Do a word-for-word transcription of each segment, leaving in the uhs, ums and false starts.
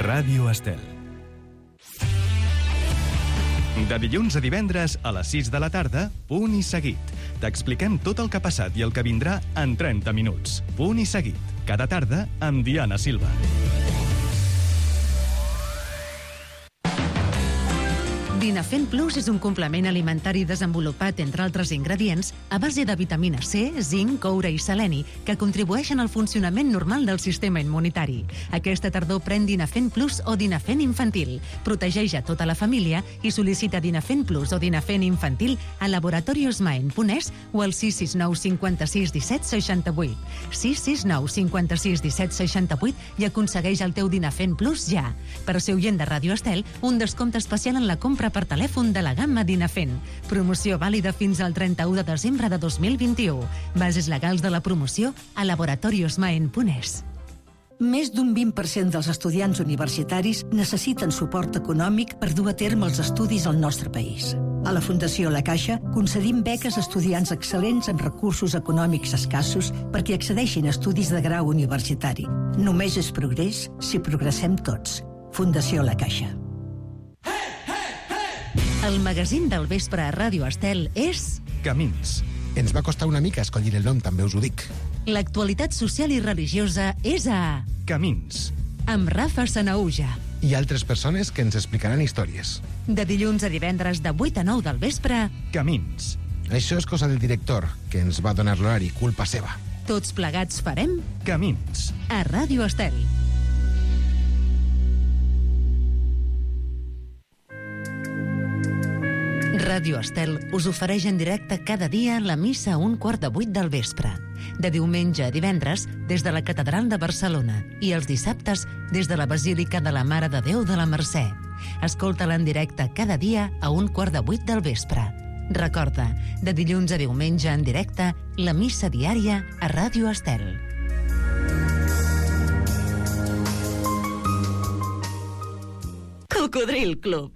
Ràdio Estel. De dilluns a divendres a les sis de la tarda, Punt i Seguit. T'expliquem tot el que ha passat i el que vindrà en trenta minuts. Punt i Seguit. Cada tarda amb Diana Silva. Dinafen Plus és un complement alimentari desenvolupat, entre altres ingredients, a base de vitamina C, zinc, coure i seleni, que contribueixen al funcionament normal del sistema immunitari. Aquesta tardor pren Dinafen Plus o Dinafen Infantil. Protegeix a tota la família i sol·licita Dinafen Plus o Dinafen Infantil a Laboratorios Maen punt es o al sis sis nou cinquanta-sis disset seixanta-vuit. sis sis nou cinquanta-sis disset seixanta-vuit i aconsegueix el teu Dinafen Plus ja. Per ser oient de Ràdio Estel, un descompte especial en la compra per telèfon de la gamma Dinafen. Promoció vàlida fins al trenta-u de desembre de dos mil vint-i-u. Bases legals de la promoció a Laboratorios Maen punt es. Més d'un vint per cent dels estudiants universitaris necessiten suport econòmic per dur a terme els estudis al nostre país. A la Fundació La Caixa concedim beques a estudiants excel·lents amb recursos econòmics escassos perquè accedeixin a estudis de grau universitari. Només és progrés si progressem tots. Fundació La Caixa. El magazín del vespre a Ràdio Estel és... Camins. Ens va costar una mica escollir el nom, també us ho dic. L'actualitat social i religiosa és a... Camins. Amb Rafa Sanaúja. I altres persones que ens explicaran històries. De dilluns a divendres de vuit a nou del vespre... Camins. Això és cosa del director, que ens va donar l'horari, culpa seva. Tots plegats farem... Camins. A Ràdio Estel. Ràdio Estel us ofereix en directe cada dia la missa a un quart de vuit del vespre. De diumenge a divendres, des de la Catedral de Barcelona, i els dissabtes, des de la Basílica de la Mare de Déu de la Mercè. Escolta-la en directe cada dia a un quart de vuit del vespre. Recorda, de dilluns a diumenge en directe, la missa diària a Ràdio Estel. Cocodril Club.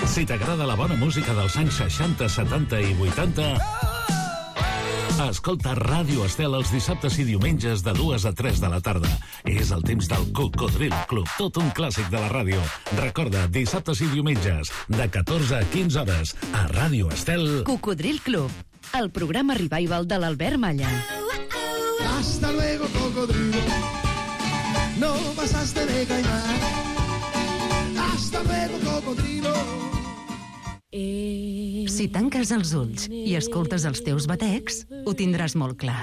Si t'agrada la bona música dels anys seixanta, setanta i vuitanta, escolta Ràdio Estel els dissabtes i diumenges de dues a tres de la tarda. És el temps del Cocodril Club, tot un clàssic de la ràdio. Recorda, dissabtes i diumenges, de catorze a quinze hores, a Ràdio Estel. Cocodril Club, el programa revival de l'Albert Malla. Hasta luego, cocodrilo. No pasaste de caimán. Hasta luego, cocodrilo. Si tanques els ulls i escoltes els teus batecs, ho tindràs molt clar.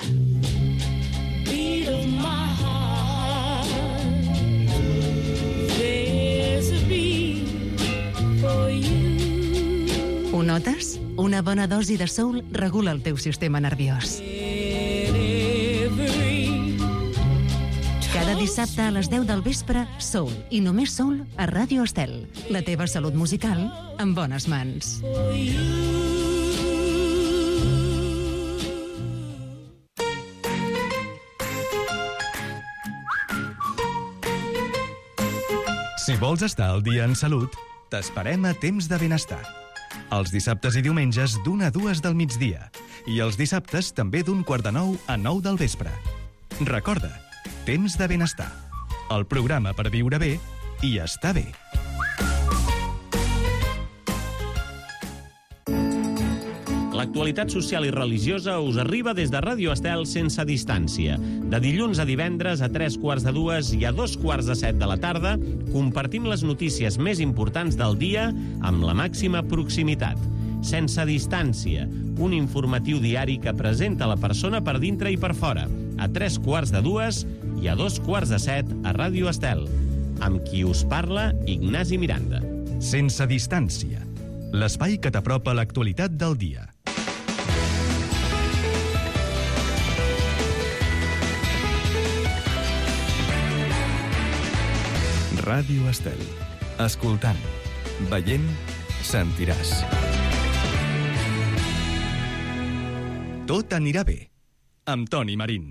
Ho notes? Una bona dosi de soul regula el teu sistema nerviós. Cada dissabte a les deu del vespre, soul, i només soul, a Ràdio Estel. La teva salut musical en bones mans. Si vols estar al dia en salut, t'esperem a Temps de Benestar. Els dissabtes i diumenges d'una a dues del migdia. I els dissabtes també d'un quart de nou a nou del vespre. Recorda, Temps de Benestar. El programa per viure bé i estar bé. L'actualitat social i religiosa us arriba des de Ràdio Estel sense distància. De dilluns a divendres a tres quarts de dues i a dos quarts de set de la tarda compartim les notícies més importants del dia amb la màxima proximitat. Sense distància, un informatiu diari que presenta la persona per dintre i per fora, a tres quarts de dues i a dos quarts de set a Ràdio Estel. Amb qui us parla, Ignasi Miranda. Sense distància, l'espai que t'apropa l'actualitat del dia. Ràdio Estel. Escoltant, veient, sentiràs. Tot anirà bé, amb Toni Marín.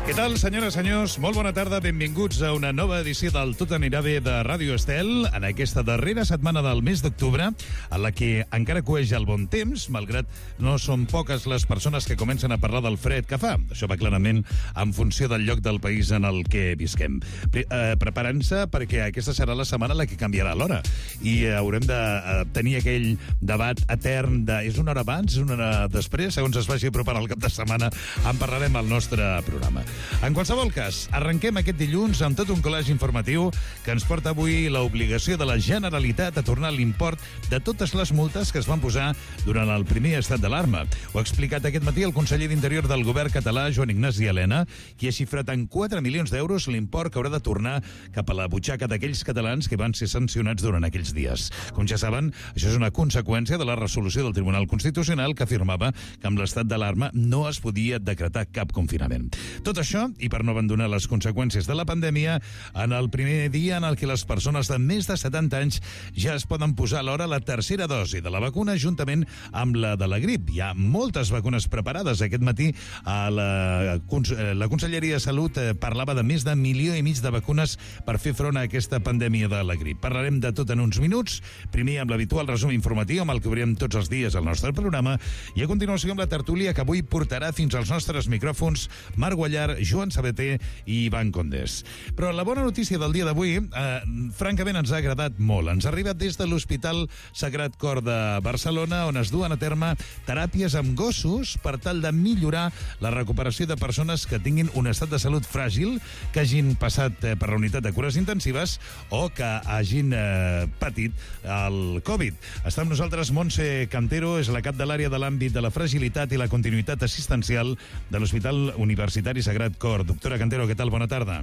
Què tal, senyores i senyors? Molt bona tarda, benvinguts a una nova edició del Tot anirà bé de Ràdio Estel, en aquesta darrera setmana del mes d'octubre, en la que encara coeix el bon temps, malgrat no són poques les persones que comencen a parlar del fred que fa. Això va clarament en funció del lloc del país en el que visquem. Pre eh, Preparant-se perquè aquesta serà la setmana en la que canviarà l'hora i haurem de eh, tenir aquell debat etern de és una hora abans, és una hora després, segons es vagi preparar el cap de setmana, en parlarem al nostre programa. En qualsevol cas, arrenquem aquest dilluns amb tot un col·legi informatiu que ens porta avui l'obligació de la Generalitat a tornar l'import de totes les multes que es van posar durant el primer estat d'alarma. Ho ha explicat aquest matí el conseller d'Interior del govern català, Joan Ignasi Elena, qui ha xifrat en quatre milions d'euros l'import que haurà de tornar cap a la butxaca d'aquells catalans que van ser sancionats durant aquells dies. Com ja saben, això és una conseqüència de la resolució del Tribunal Constitucional que afirmava que amb l'estat d'alarma no es podia decretar cap confinament. Tot això, i per no abandonar les conseqüències de la pandèmia, en el primer dia en el que les persones de més de setanta anys ja es poden posar alhora la tercera dosi de la vacuna juntament amb la de la grip. Hi ha moltes vacunes preparades. Aquest matí a la, la Conselleria de Salut parlava de més de milió i mig de vacunes per fer front a aquesta pandèmia de la grip. Parlarem de tot en uns minuts, primer amb l'habitual resum informatiu amb el que obrirem tots els dies al nostre programa i a continuació amb la tertúlia que avui portarà fins als nostres micròfons Marc Guallar, Joan Sabater i Ivan Condés. Però la bona notícia del dia d'avui, eh, francament, ens ha agradat molt. Ens ha arribat des de l'Hospital Sagrat Cor de Barcelona, on es duen a terme teràpies amb gossos per tal de millorar la recuperació de persones que tinguin un estat de salut fràgil, que hagin passat eh, per la unitat de cures intensives o que hagin eh, patit el Covid. Està amb nosaltres Montse Cantero, és la cap de l'àrea de l'àmbit de la fragilitat i la continuïtat assistencial de l'Hospital Universitari Sagrat Cor. Doctora Cantero, què tal? Bona tarda.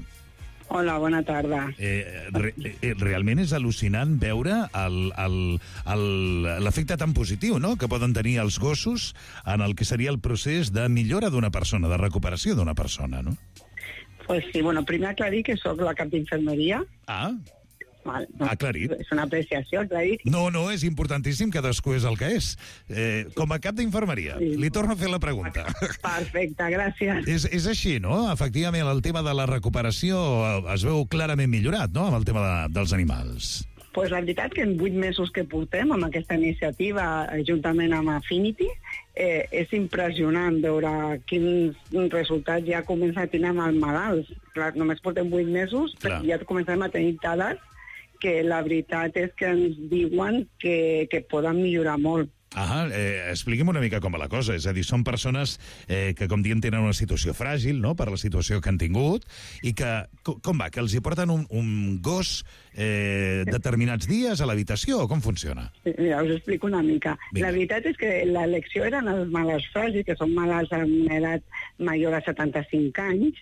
Hola, bona tarda. Eh, re, eh, realment és al·lucinant veure l'efecte tan positiu, no?, que poden tenir els gossos en el que seria el procés de millora d'una persona, de recuperació d'una persona, no? Pues sí, bueno, primer aclarir que sóc la cap d'infermeria. Ah, Val, no, aclarit. És una apreciació, aclarit. No, no, és importantíssim, cadascú és el que és. Eh, com a cap d'infermeria, sí. Li torno a fer la pregunta. Perfecte, gràcies. És, és així, no? Efectivament, el tema de la recuperació es veu clarament millorat, no?, amb el tema de, dels animals. Pues la veritat que en vuit mesos que portem amb aquesta iniciativa, juntament amb Affinity, eh, és impressionant veure quins resultats ja comença a tenir amb els malalts. Clar, només portem vuit mesos, però ja comencem a tenir dades que la veritat és que ens diuen que, que poden millorar molt. Ah, eh, expliqui'm una mica com va la cosa. És a dir, són persones eh, que, com diem, tenen una situació fràgil, no?, per la situació que han tingut, i que, com va, que els hi porten un, un gos eh, determinats dies a l'habitació, o com funciona? Mira, us explico una mica. Vinga. La veritat és que l'elecció eren els malalts fràgils, que són malalts amb edat major a setanta-cinc anys,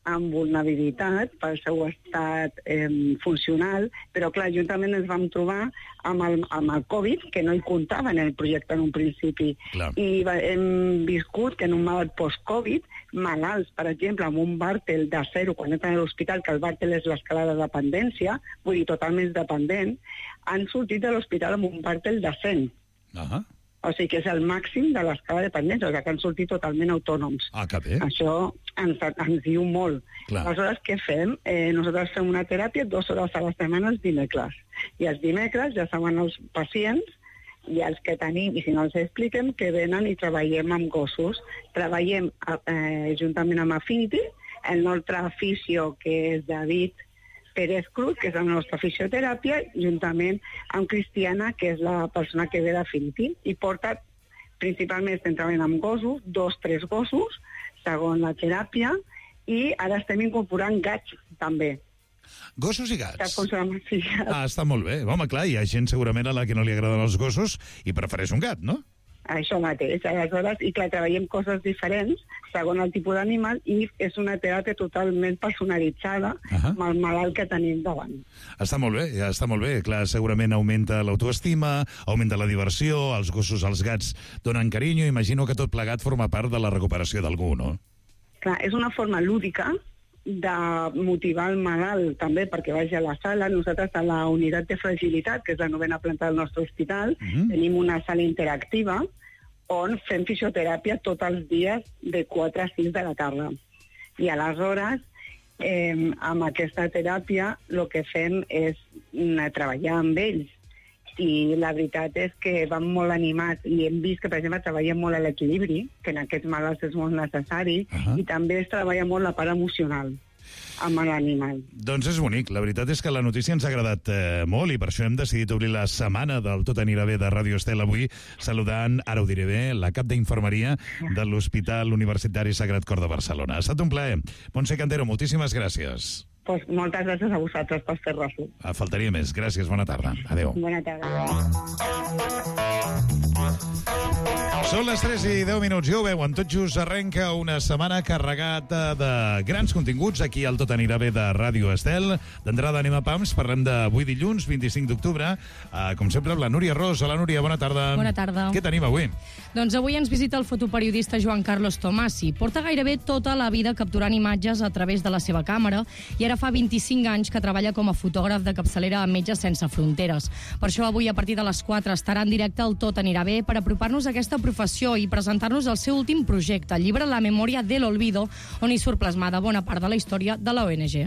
amb vulnerabilitat pel seu estat eh, funcional, però clar, juntament ens vam trobar amb el, amb el Covid, que no hi comptava en el projecte en un principi. Clar. I va, hem viscut que en un malalt post-Covid, malalts, per exemple, amb un Bartel de zero, quan entren a l'hospital, que el Bartel és l'escala de dependència, vull dir, totalment dependent, han sortit de l'hospital amb un Bartel de cent. Ahà. O sigui que és el màxim de l'escala de dependència, o sigui que han sortit totalment autònoms. Ah, que bé. Això ens, ens diu molt. Clar. Aleshores, què fem? Eh, nosaltres fem una teràpia dues hores a la setmana els dimecres. I els dimecres ja saben els pacients i els que tenim, i si no els expliquem, que venen i treballem amb gossos. Treballem eh, juntament amb Affinity, el nostre fisio, que és David Pérez Cruz, que és la nostra fisioteràpia, juntament amb Cristiana, que és la persona que ve d'Affinity, i porta, principalment estem treballant amb gossos, dos, tres gossos, segons la teràpia, i ara estem incorporant gats, també. Gossos i gats? Saps com se llama? Sí, gats. Ah, està molt bé. Home, clar, hi ha gent segurament a la que no li agraden els gossos i prefereix un gat, no? Això mateix, aleshores, i clar, treballem coses diferents segons el tipus d'animal i és una teràpia totalment personalitzada uh-huh. amb el malalt que tenim davant. Està molt bé, ja està molt bé. Clar, segurament augmenta l'autoestima, augmenta la diversió, els gossos, els gats donen carinyo, imagino que tot plegat forma part de la recuperació d'algú, no? Clar, és una forma lúdica de motivar el malalt també perquè vagi a la sala. Nosaltres a la unitat de fragilitat, que és la novena planta del nostre hospital, uh-huh. tenim una sala interactiva on fem fisioteràpia tots els dies de quatre a sis de la tarda. I aleshores, eh, amb aquesta teràpia, el que fem és eh, treballar amb ells. I la veritat és que van molt animats i hem vist que, per exemple, treballen molt a l'equilibri, que en aquests malalts és molt necessari, uh-huh. i també es treballa molt la part emocional amb l'animal. Doncs és bonic. La veritat és que la notícia ens ha agradat eh, molt i per això hem decidit obrir la setmana del Tot anirà bé de Ràdio Estel avui saludant, ara ho diré bé, la cap d'infermeria de l'Hospital Universitari Sagrat Cor de Barcelona. Ha estat un plaer. Montse Cantero, moltíssimes gràcies. Pues moltes gràcies a vosaltres per fer-ho. Faltaria més. Gràcies, bona tarda. Adéu. Bona tarda. Són les tres i deu minuts, ja ho veuen, tot just arrenca una setmana carregada de grans continguts aquí al Tot anirà bé de Ràdio Estel. D'entrada anem a Pams, parlem d'avui dilluns, vint-i-cinc d'octubre. Uh, com sempre, amb la Núria Ros. Hola, Núria, bona tarda. Bona tarda. Què tenim avui? Doncs avui ens visita el fotoperiodista Joan Carlos Tomasi. Porta gairebé tota la vida capturant imatges a través de la seva càmera i ara fa vint-i-cinc anys que treballa com a fotògraf de capçalera a Metges Sense Fronteres. Per això avui, a partir de les quatre, estarà en directe al Tot anirà bé per apropar-nos a aquesta professió i presentar-nos el seu últim projecte, el llibre La Memoria del Olvido, on hi surt plasmada bona part de la història de la O N G.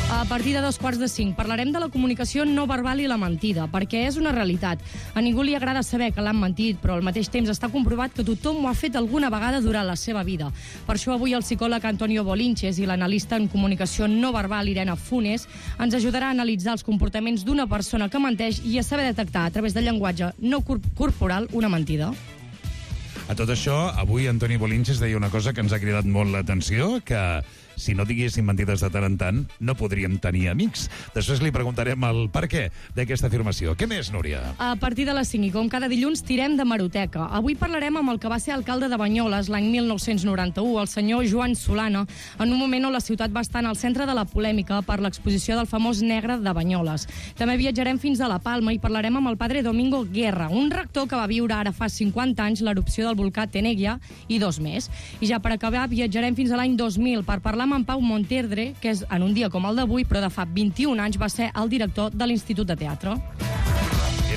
A partir de dos quarts de cinc parlarem de la comunicació no verbal i la mentida, perquè és una realitat. A ningú li agrada saber que l'han mentit, però al mateix temps està comprovat que tothom ho ha fet alguna vegada durant la seva vida. Per això avui el psicòleg Antonio Bolinches i l'analista en comunicació no verbal Irene Funes ens ajudarà a analitzar els comportaments d'una persona que menteix i a saber detectar a través del llenguatge no corporal una mentida. A tot això, avui Antoni Bolinches deia una cosa que ens ha cridat molt l'atenció, que si no diguéssim mentides de tant en tant, no podríem tenir amics. Després li preguntarem el per què d'aquesta afirmació. Què més, Núria? A partir de les cinc, i com cada dilluns, tirem de meroteca. Avui parlarem amb el que va ser alcalde de Banyoles l'any mil nou-cents noranta-u, el senyor Joan Solana, en un moment on la ciutat va estar en el centre de la polèmica per l'exposició del famós negre de Banyoles. També viatjarem fins a La Palma i parlarem amb el padre Domingo Guerra, un rector que va viure ara fa cinquanta anys l'erupció del volcà Tenegia i dos més. I ja per acabar, viatjarem fins a l'any dos mil per parlar amb en Pau Monterdre, que és en un dia com el d'avui, però de fa vint-i-un anys va ser el director de l'Institut de Teatre.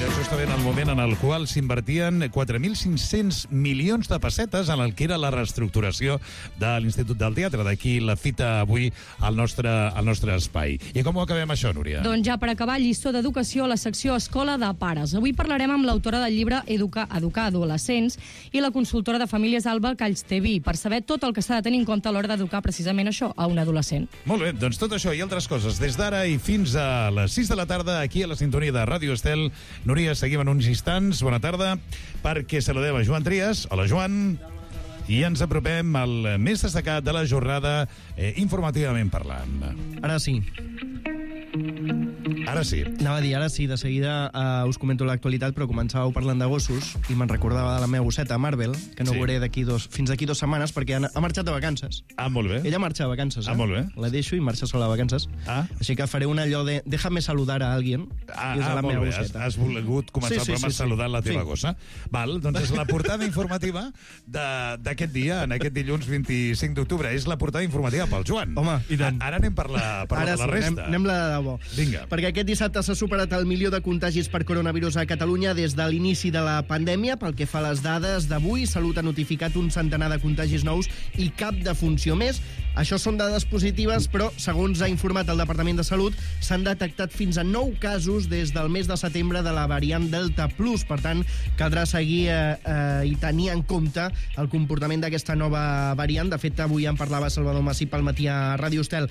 Era justament el moment en el qual s'invertien quatre mil cinc-cents milions de pessetes en el que era la reestructuració de l'Institut del Teatre. D'aquí la fita avui al nostre, al nostre espai. I com ho acabem això, Núria? Doncs ja per acabar, lliçó d'educació a la secció Escola de Pares. Avui parlarem amb l'autora del llibre Educar, Educar Adolescents i la consultora de famílies Alba Callsteví per saber tot el que s'ha de tenir en compte a l'hora d'educar precisament això a un adolescent. Molt bé, doncs tot això i altres coses des d'ara i fins a les sis de la tarda aquí a la sintonia de Ràdio Estel. Núria, seguim en uns instants. Bona tarda, perquè saludem a Joan Trias. Hola, Joan. I ens apropem al més destacat de la jornada eh, informativament parlant. Ara sí. Ara sí. Anava a dir, ara sí, de seguida uh, us comento l'actualitat, però començàveu parlant de gossos i me'n recordava de la meva gosseta, Marvel, que no sí. veuré d'aquí dos, fins d'aquí dues setmanes perquè ha, ha marxat de vacances. Ah, molt bé. Ella marxa de vacances, eh? Ah, molt bé. La deixo i marxa sola de vacances. Ah. Així que faré un allò de déjame saludar a alguien. Ah, i és ah la molt meva bé. gosseta. Has, has volgut començar sí, sí, el programa sí, sí. saludant la teva sí. gossa. Val, doncs és la portada informativa d'aquest dia, en aquest dilluns vint-i-cinc d'octubre. És la portada informativa pel Joan. Home, i tant. Ara anem per la, per Ara la, la sí, resta. Anem, anem la de debò. Vinga. Perquè aquest dissabte s'ha superat el milió de contagis per coronavirus a Catalunya des de l'inici de la pandèmia. Pel que fa a les dades d'avui, Salut ha notificat un centenar de contagis nous i cap defunció més. Això són dades positives, però, segons ha informat el Departament de Salut, s'han detectat fins a nou casos des del mes de setembre de la variant Delta Plus. Per tant, caldrà seguir eh, eh, i tenir en compte el comportament d'aquesta nova variant. De fet, avui en parlava Salvador Massip al matí a Ràdio Estel.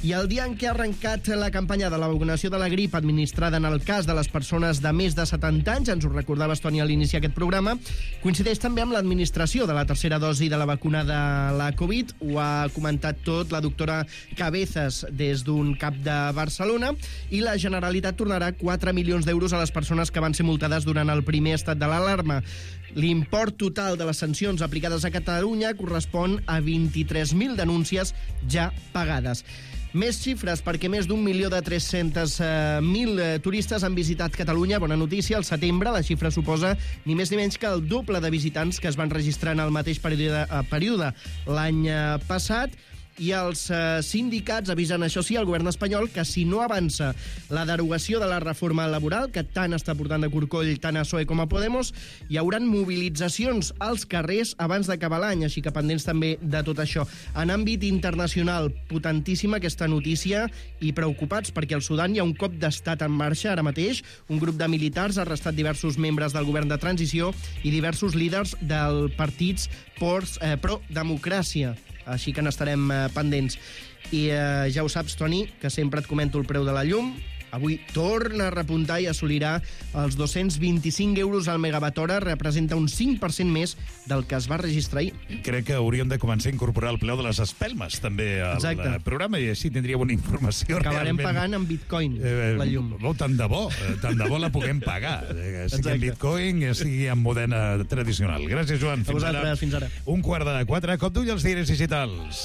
I el dia en què ha arrencat la campanya de la vacunació de la grip administrada en el cas de les persones de més de setanta anys, ens ho recordava Estònia a l'iniciar aquest programa, coincideix també amb l'administració de la tercera dosi de la vacuna de la Covid. Ho ha comentat tot la doctora Cabezas des d'un cap de Barcelona, i la Generalitat tornarà quatre milions d'euros a les persones que van ser multades durant el primer estat de l'alarma. L'import total de les sancions aplicades a Catalunya correspon a vint-i-tres mil denúncies ja pagades. Més xifres, perquè més d'un milió de tres-cents mil turistes han visitat Catalunya. Bona notícia, al setembre la xifra suposa ni més ni menys que el doble de visitants que es van registrar en el mateix període, període l'any passat. I els eh, sindicats avisen, això sí, al govern espanyol que si no avança la derogació de la reforma laboral, que tant està portant de corcoll tant a P S O E com a Podemos, hi hauran mobilitzacions als carrers abans d'acabar l'any, així que pendents també de tot això. En àmbit internacional, potentíssima aquesta notícia i preocupats perquè al Sudan hi ha un cop d'estat en marxa ara mateix. Un grup de militars ha arrestat diversos membres del govern de transició i diversos líders del partits eh, pro-democràcia. Així que n'estarem eh, pendents. I eh, ja ho saps, Toni, que sempre et comento el preu de la llum. Avui torna a repuntar i assolirà els dos-cents vint-i-cinc euros al megawatt hora. Representa un cinc per cent més del que es va registrar ahir. Crec que hauríem de començar a incorporar el preu de les espelmes també al Exacte. programa i així tindríem una informació Acabarem realment... pagant en bitcoin eh, la llum. Oh, tant de bo, tant de bo la puguem pagar. Eh, sigui en bitcoin, sigui en modena tradicional. Gràcies, Joan. Fins a vosaltres, ara. Fins ara. Un quart de quatre, cop d'ull als diaris digitals.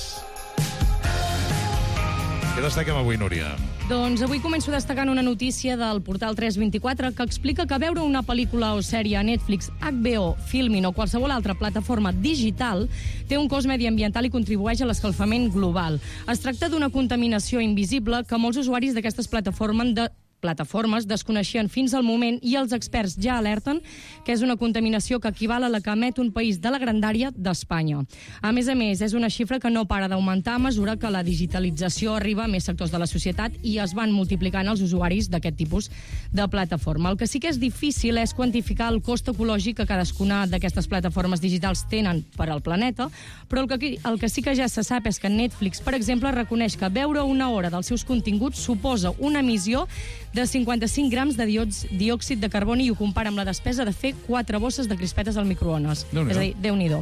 Què destaquem avui, Núria? Doncs avui començo destacant una notícia del portal tres vint-i-quatre que explica que veure una pel·lícula o sèrie a Netflix, H B O, Filmin o qualsevol altra plataforma digital té un cost mediambiental i contribueix a l'escalfament global. Es tracta d'una contaminació invisible que molts usuaris d'aquestes plataformes de plataformes desconeixien fins al moment i els experts ja alerten que és una contaminació que equival a la que emet un país de la grandària d'Espanya. A més a més, és una xifra que no para d'augmentar a mesura que la digitalització arriba a més sectors de la societat i es van multiplicant els usuaris d'aquest tipus de plataforma. El que sí que és difícil és quantificar el cost ecològic que cadascuna d'aquestes plataformes digitals tenen per al planeta, però el que, el que sí que ja se sap és que Netflix, per exemple, reconeix que veure una hora dels seus continguts suposa una emissió de cinquanta-cinc grams de diòxid de carboni i ho compara amb la despesa de fer quatre bosses de crispetes al microones. És a dir, Déu-n'hi-do.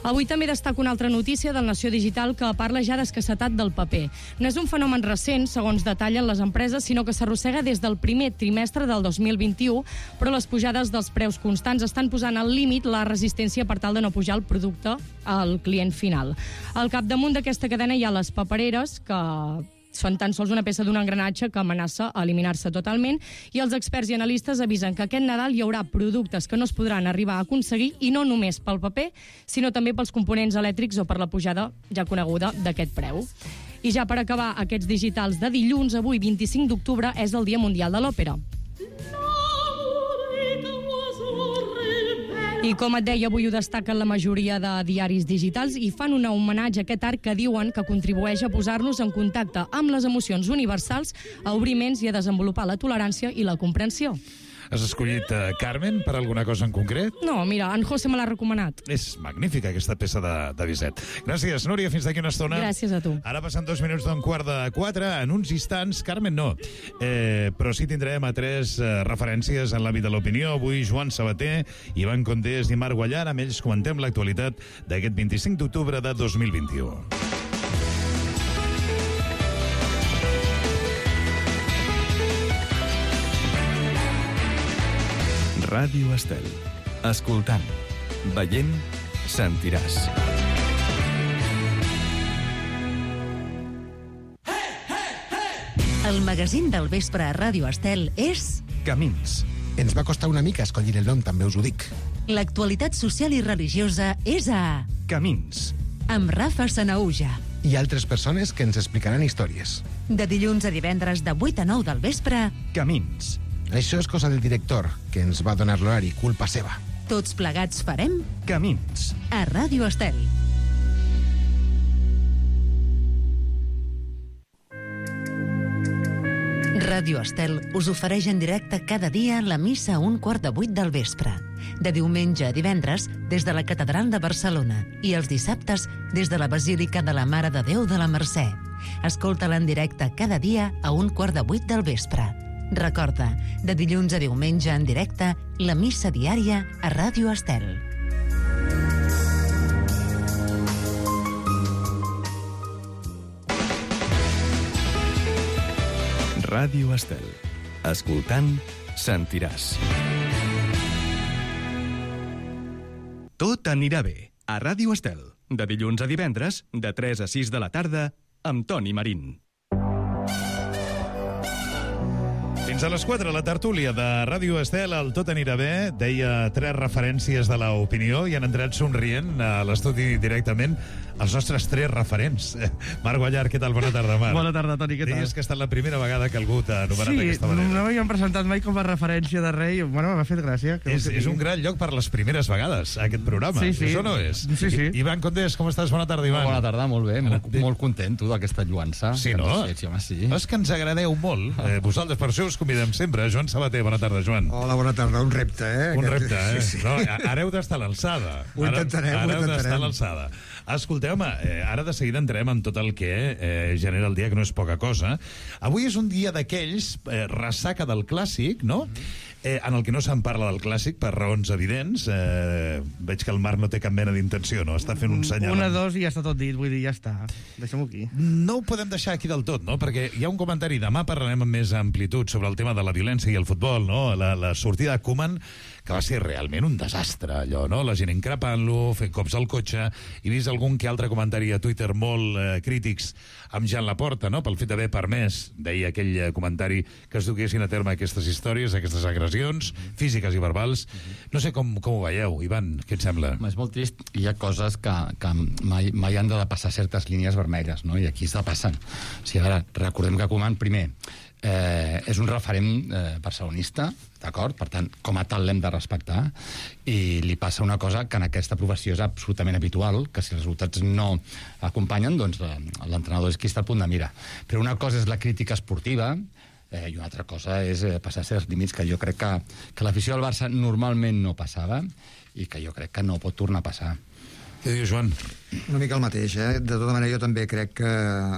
Avui també destaco una altra notícia del Nació Digital que parla ja d'escassetat del paper. No és un fenomen recent, segons detallen les empreses, sinó que s'arrossega des del primer trimestre del dos mil vint-i-u, però les pujades dels preus constants estan posant al límit la resistència per tal de no pujar el producte al client final. Al capdamunt d'aquesta cadena hi ha les papereres, que són tan sols una peça d'un engranatge que amenaça a eliminar-se totalment, i els experts i analistes avisen que aquest Nadal hi haurà productes que no es podran arribar a aconseguir, i no només pel paper, sinó també pels components elèctrics o per la pujada ja coneguda d'aquest preu. I ja per acabar aquests digitals de dilluns, avui, vint-i-cinc d'octubre, és el Dia Mundial de l'Òpera. I com et deia, avui ho destaquen la majoria de diaris digitals i fan un homenatge a aquest art que diuen que contribueix a posar-nos en contacte amb les emocions universals, a obrir ments i a desenvolupar la tolerància i la comprensió. Has escollit uh, Carmen per alguna cosa en concret? No, mira, en José me l'ha recomanat. És magnífica aquesta peça de, de Bizet. Gràcies, Núria, fins d'aquí una estona. Gràcies a tu. Ara passen dos minuts d'un quart de quatre. En uns instants, Carmen no, eh, però sí tindrem a tres eh, referències en l'àmbit de l'opinió. Avui Joan Sabater, Ivan Condés i Marc Guallar. Amb ells comentem l'actualitat d'aquest vint-i-cinc d'octubre de dos mil vint-i-u. Ràdio Estel. Escoltant, veient, sentiràs. El magazín del vespre a Ràdio Estel és... Camins. Ens va costar una mica escollir el nom, també us ho dic. L'actualitat social i religiosa és a... Camins. Amb Rafa Sanaúja. I altres persones que ens explicaran històries. De dilluns a divendres de vuit a nou del vespre... Camins. Això és cosa del director, que ens va donar l'horari, culpa seva. Tots plegats farem... Camins. A Ràdio Estel. Ràdio Estel us ofereix en directe cada dia la missa a un quart de vuit del vespre. De diumenge a divendres, des de la Catedral de Barcelona, i els dissabtes, des de la Basílica de la Mare de Déu de la Mercè. Escolta-la en directe cada dia a un quart de vuit del vespre. Recorda, de dilluns a diumenge en directe, la missa diària a Ràdio Estel. Ràdio Estel. Escoltant, sentiràs. Tot anirà bé. A Ràdio Estel. De dilluns a divendres, de tres a sis de la tarda, amb Toni Marín. Fins a les quatre, la tertúlia de Ràdio Estel, el Tot anirà bé, deia tres referències de l'opinió i han entrat somrient a l'estudi directament els nostres tres referents. Marc Guallar, què tal? Bona tarda, Marc. Bona tarda, Toni, què tal? Deies que ha estat la primera vegada que algú t'ha anomenat sí, d'aquesta manera. Sí, no m'havien presentat mai com a referència de rei. Bueno, m'ha fet gràcia. És, és un gran lloc per les primeres vegades, aquest programa. Sí, sí. Això no és? Sí, sí. I, Ivan Condés, com estàs? Bona tarda, Ivan. Bona tarda, molt bé. Molt, molt content, tu, d'aquesta lluança. Sí, no? Sí, home, sí. És que ens agradeu molt. Eh, vosaltres, per això us convidem sempre. Joan Sabater, bona tarda, Joan. Hola, bona tarda. Un repte, eh? Un Aquest... repte, eh? Sí, sí. No, ara heu d'estar a l'alçada. Ho intentarem, ara, ho ara heu d'estar intentarem. a l'alçada. Escolteu, home, eh, ara de seguida entrem en tot el que eh, genera el dia, que no és poca cosa. Avui és un dia d'aquells, eh, ressaca del clàssic, no? Eh, en el que no se'n parla del clàssic per raons evidents. Eh, veig que el Marc no té cap mena d'intenció, no? Està fent un senyal. Una, dos i ja està tot dit, vull dir, ja està. Deixem-ho aquí. No ho podem deixar aquí del tot, no? Perquè hi ha un comentari, demà parlarem amb més amplitud sobre el tema de la violència i el futbol, no? La, la sortida de Koeman, que va ser realment un desastre, allò, no? La gent increpant-lo, fent cops al cotxe. He vist algun que altre comentari a Twitter molt eh, crítics amb Jean Laporta, no? Pel fet d'haver permès, deia aquell eh, comentari, que es duguessin a terme aquestes històries, aquestes agressions físiques i verbals. No sé com, com ho veieu, Ivan, què et sembla? És molt trist. Hi ha coses que, que mai, mai han de passar certes línies vermelles, no? I aquí està passant. O sigui, ara, recordem que Koeman, primer, Eh, és un referent eh, barcelonista, d'acord? Per tant, com a tal l'hem de respectar, i li passa una cosa que en aquesta professió és absolutament habitual, que si els resultats no acompanyen, doncs l'entrenador és qui està al punt de mira. Però una cosa és la crítica esportiva, eh, i una altra cosa és eh, passar certs límits que jo crec que, que l'afició del Barça normalment no passava i que jo crec que no pot tornar a passar. Què dius, Joan? Una mica el mateix, eh? De tota manera, jo també crec que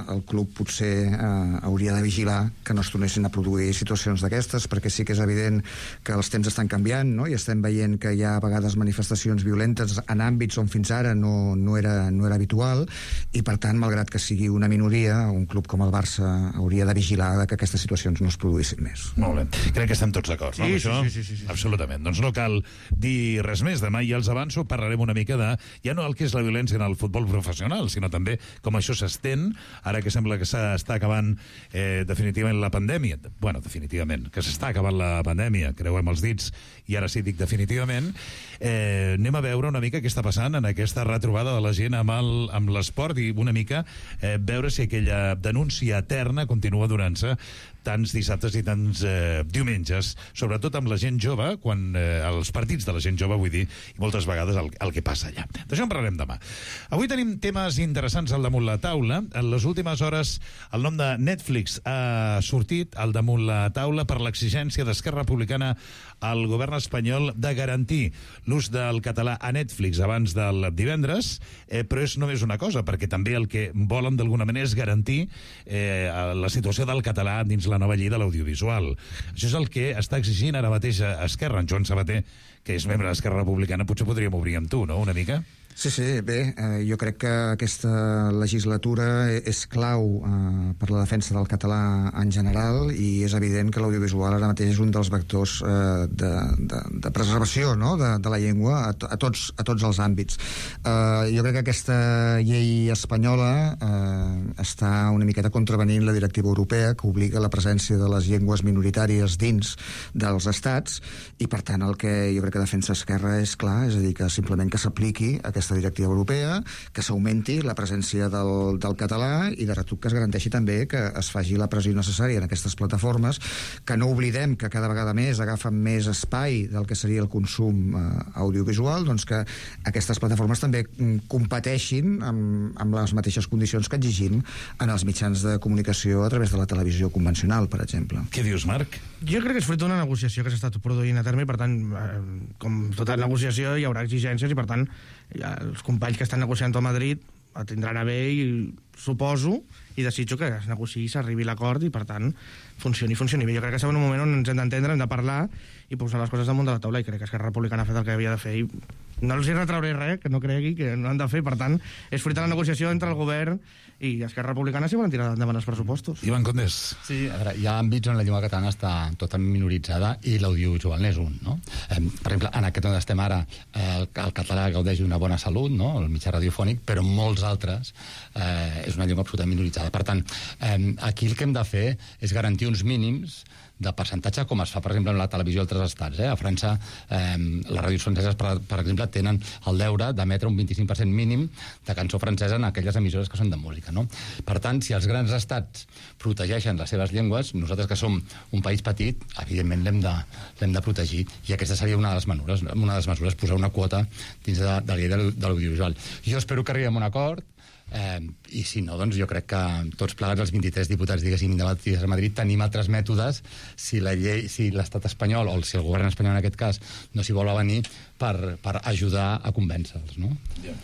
el club potser eh, hauria de vigilar que no es tornessin a produir situacions d'aquestes, perquè sí que és evident que els temps estan canviant, no? I estem veient que hi ha a vegades manifestacions violentes en àmbits on fins ara no, no, era, no era habitual, i per tant, malgrat que sigui una minoria, un club com el Barça hauria de vigilar que aquestes situacions no es produïssin més. Molt bé. Crec que estem tots d'acord, no? Sí, això? sí, sí, sí, sí. Absolutament. Doncs no cal dir res més. Demà ja els avanço, parlarem una mica de ja no el que és la violència en el futbol professional, sinó també com això s'estén, ara que sembla que s'està acabant eh, definitivament la pandèmia. Bueno, definitivament, que s'està acabant la pandèmia, creuem els dits, i ara sí dic definitivament. Eh, anem a veure una mica què està passant en aquesta retrobada de la gent amb el, amb l'esport i una mica eh, veure si aquella denúncia eterna continua donant-se tants dissabtes i tants eh, diumenges, sobretot amb la gent jove, quan eh, els partits de la gent jove, vull dir, i moltes vegades el, el que passa allà. D'això en parlarem demà. Avui tenim temes interessants al damunt la taula. En les últimes hores el nom de Netflix ha sortit al damunt la taula per l'exigència d'Esquerra Republicana al govern espanyol de garantir l'ús del català a Netflix abans del divendres, eh, però és només una cosa, perquè també el que volen d'alguna manera és garantir eh, la situació del català dins la nova llei de l'audiovisual. Això és el que està exigint ara mateix a Esquerra. En Joan Sabater, que és membre d'Esquerra Republicana, potser podríem obrir amb tu, no?, una mica? Sí, sí, bé, eh, jo crec que aquesta legislatura és clau eh, per la defensa del català en general, i és evident que l'audiovisual ara mateix és un dels vectors eh, de, de, de preservació, no?, de, de la llengua a, a, tots, a tots els àmbits. Eh, jo crec que aquesta llei espanyola eh, està una miqueta contravenint la directiva europea, que obliga la presència de les llengües minoritàries dins dels estats, i per tant el que jo crec que defensa Esquerra és clar, és a dir, que simplement que s'apliqui aquesta aquesta directiva europea, que s'augmenti la presència del, del català i de retruc que es garanteixi també que es faci la pressió necessària en aquestes plataformes, que no oblidem que cada vegada més agafen més espai del que seria el consum eh, audiovisual, doncs que aquestes plataformes també competeixin amb, amb les mateixes condicions que exigim en els mitjans de comunicació a través de la televisió convencional, per exemple. Què dius, Marc? Jo crec que és fruit d'una negociació que s'ha estat produint a terme, i per tant, eh, com tota negociació, hi haurà exigències, i per tant ja, els companys que estan negociant a Madrid el tindran a bé, i suposo i desitjo que es negociï, s'arribi a l'acord i per tant funcioni, funcioni bé. Jo crec que estem en un moment on ens hem d'entendre, hem de parlar i posar les coses damunt de la taula, i crec que Esquerra Republicana ha fet el que havia de fer i no els hi retrauré res, que no cregui que no han de fer. Per tant, és fruit de la negociació entre el govern i Esquerra Republicana si volen tirar endavant els pressupostos. Ivan Condés. Sí, a veure, hi ha àmbits on la llengua catalana està totalment minoritzada i l'audiovisual n'és un, no? Eh, per exemple, en aquest on estem ara, eh, el, el català gaudeix d'una bona salut, no?, el mitjà radiofònic, però en molts altres eh, és una llengua absolutament minoritzada. Per tant, eh, aquí el que hem de fer és garantir uns mínims de percentatge, com es fa, per exemple, en la televisió d'altres estats. Eh? A França, eh, les ràdios franceses, per, per exemple, tenen el deure d'emetre un vint-i-cinc per cent mínim de cançó francesa en aquelles emissores que són de música. No? Per tant, si els grans estats protegeixen les seves llengües, nosaltres que som un país petit, evidentment l'hem de, l'hem de protegir. I aquesta seria una de les mesures, una de les mesures posar una quota dins de, de la llei de l'audiovisual. Jo espero que arribem a un acord, eh, i si no, doncs jo crec que tots plegats els vint-i-tres diputats, diguéssim, independentistes a Madrid, tenim altres mètodes si la llei, si l'estat espanyol, o si el govern espanyol en aquest cas, no s'hi vol venir per, per ajudar a convèncer-los, no? Ja.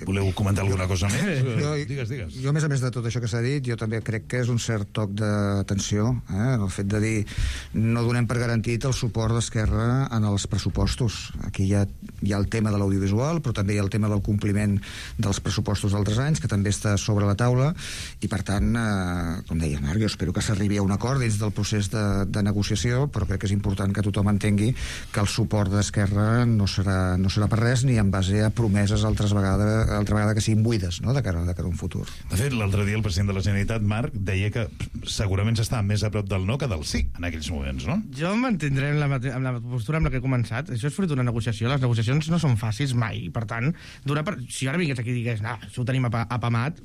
Voleu comentar alguna cosa més? Jo, digues, digues. Jo, a més a més de tot això que s'ha dit, jo també crec que és un cert toc d'atenció, eh? El fet de dir no donem per garantit el suport d'Esquerra en els pressupostos. Aquí hi ha, hi ha el tema de l'audiovisual, però també hi ha el tema del compliment dels pressupostos d'altres anys, que també està sobre la taula, i per tant, eh, com deia Marc, jo espero que s'arribi a un acord dins del procés de, de negociació, però crec que és important que tothom entengui que el suport d'Esquerra no serà, no serà per res, ni en base a promeses altres vegades altra vegada que siguin buides, no?, de cara, de cara a un futur. De fet, l'altre dia el president de la Generalitat, Marc, deia que segurament s'està més a prop del no que del sí en aquells moments, no? Jo em mantindré en la, en la postura amb la que he començat. Això és fruit d'una negociació. Les negociacions no són fàcils mai. Per tant, per... si ara vingués aquí i digués, no, això ho tenim apamat,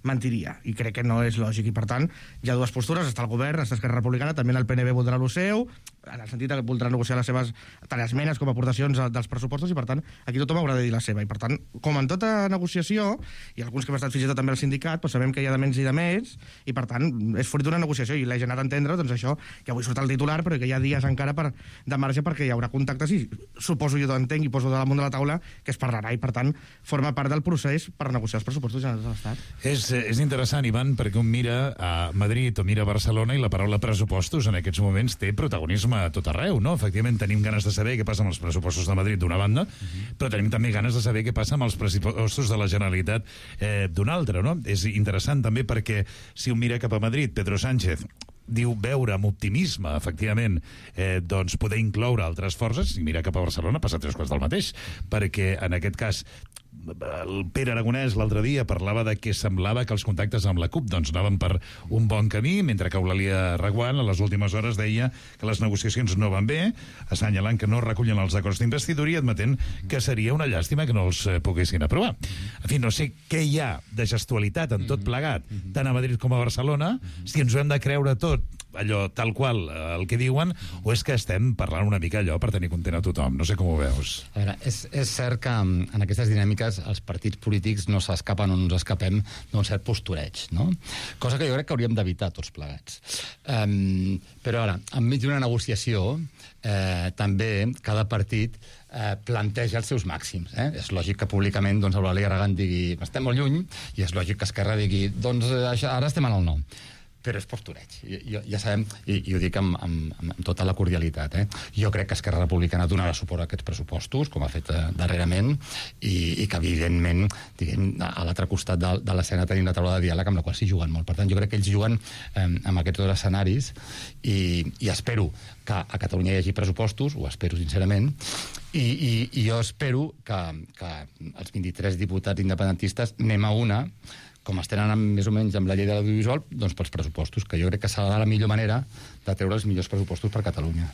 mentiria, i crec que no és lògic, i per tant hi ha dues postures, està el govern, està Esquerra Republicana, també el P N B voldrà el seu, en el sentit que voldrà negociar les seves tant esmenes com aportacions dels pressupostos, i per tant aquí tothom haurà de dir la seva, i per tant, com en tota negociació, i alguns que hem estat fins i tot també al sindicat, doncs sabem que hi ha de menys i de més, i per tant és fruit d'una negociació, i l'he anat a entendre, doncs això, que avui surt el titular, però que hi ha dies encara per, de marge perquè hi haurà contactes, i suposo jo t'entenc i poso damunt de la taula que es parlarà, i per tant forma part del procés per negociar els pressupostos generals de l'Estat. És és interessant, Ivan, perquè un mira a Madrid o mira a Barcelona i la paraula pressupostos en aquests moments té protagonisme a tot arreu, no? Efectivament, tenim ganes de saber què passa amb els pressupostos de Madrid d'una banda, uh-huh. però tenim també ganes de saber què passa amb els pressupostos de la Generalitat eh, d'una altra, no? És interessant també perquè si un mira cap a Madrid, Pedro Sánchez diu veure amb optimisme, efectivament, eh, doncs poder incloure altres forces, i mira cap a Barcelona passa tres quarts del mateix, perquè en aquest cas el Pere Aragonès l'altre dia parlava de que semblava que els contactes amb la CUP doncs anaven per un bon camí, mentre que Eulàlia Reguant a les últimes hores deia que les negociacions no van bé, assenyalant que no recullen els acords d'investidura i admetent que seria una llàstima que no els poguessin aprovar. En fi, no sé què hi ha de gestualitat en tot plegat, tant a Madrid com a Barcelona, si ens ho hem de creure tot allò tal qual el que diuen, o és que estem parlant una mica allò per tenir content a tothom. No sé com ho veus. A veure, és, és cert que en aquestes dinàmiques els partits polítics no s'escapen o no ens escapem d'un cert postureig, no? Cosa que jo crec que hauríem d'evitar tots plegats. Um, però ara, enmig d'una negociació, eh, també cada partit eh, planteja els seus màxims. Eh? És lògic que públicament doncs, Eulàlia Reguant digui estem molt lluny, i és lògic que Esquerra digui doncs això, ara estem en el no. Però és postureig, ja, ja sabem, i, i ho dic amb, amb, amb tota la cordialitat, eh? Jo crec que Esquerra Republicana donarà suport a aquests pressupostos, com ha fet eh, darrerament, i, i que, evidentment, diguem, a l'altre costat de, de l'escena tenim la taula de diàleg, amb la qual s'hi juguen molt. Per tant, jo crec que ells juguen eh, amb aquests dos escenaris, i, i espero que a Catalunya hi hagi pressupostos, ho espero sincerament, i, i, i jo espero que, que els vint-i-tres diputats independentistes anem a una, com estan anant més o menys amb la llei de l'audiovisual, doncs pels pressupostos, que jo crec que serà la millor manera de treure els millors pressupostos per Catalunya.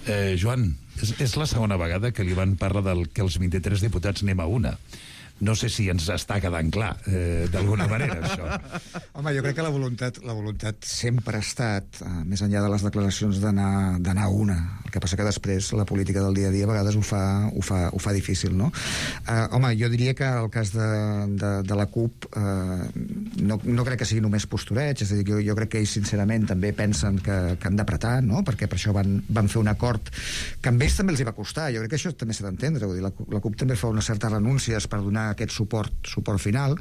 Eh, Joan, és, és la segona vegada que l'Ivan parla del que els vint-i-tres diputats anem a una. No sé si ens està quedant clar, eh, d'alguna manera, això. Home, jo crec que la voluntat, la voluntat sempre ha estat, eh, més enllà de les declaracions d'anar d'anar a una. El que passa que després la política del dia a dia a vegades ho fa, ho fa, ho fa difícil, no? Eh, home, jo diria que el cas de, de, de la CUP eh, no, no crec que sigui només postureig, és a dir, jo, jo crec que ells sincerament també pensen que, que han d'apretar, no? Perquè per això van, van fer un acord que a ells també els hi va costar. Jo crec que això també s'ha d'entendre. La, la CUP també fa unes certes renúncies per donar aquest suport, suport final,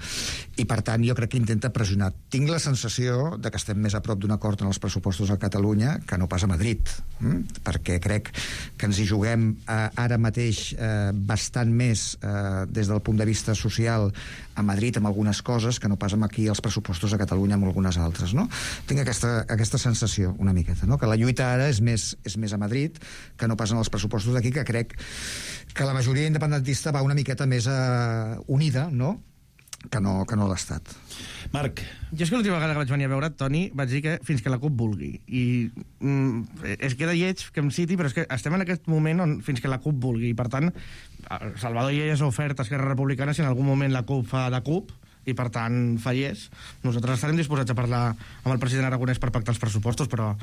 i per tant jo crec que intenta pressionar. Tinc la sensació de que estem més a prop d'un acord en els pressupostos a Catalunya que no pas a Madrid, hm? perquè crec que ens hi juguem eh, ara mateix eh, bastant més eh, des del punt de vista social a Madrid amb algunes coses que no pas amb aquí els pressupostos a Catalunya amb algunes altres, no? Tinc aquesta, aquesta sensació una miqueta, no? Que la lluita ara és més, és més a Madrid que no pas en els pressupostos d'aquí, que crec que la majoria independentista va una miqueta més eh, unida, no? que no, que no l'ha estat. Marc. Jo és que l'última vegada que vaig venir a veure Toni vaig dir que fins que la CUP vulgui. I mm, es queda lleig que em citi, però és que estem en aquest moment on fins que la CUP vulgui. I per tant, Salvador ja és oferta a Esquerra Republicana si en algun moment la CUP fa de CUP i per tant fallés. Nosaltres estarem disposats a parlar amb el president Aragonès per pactar els pressupostos, però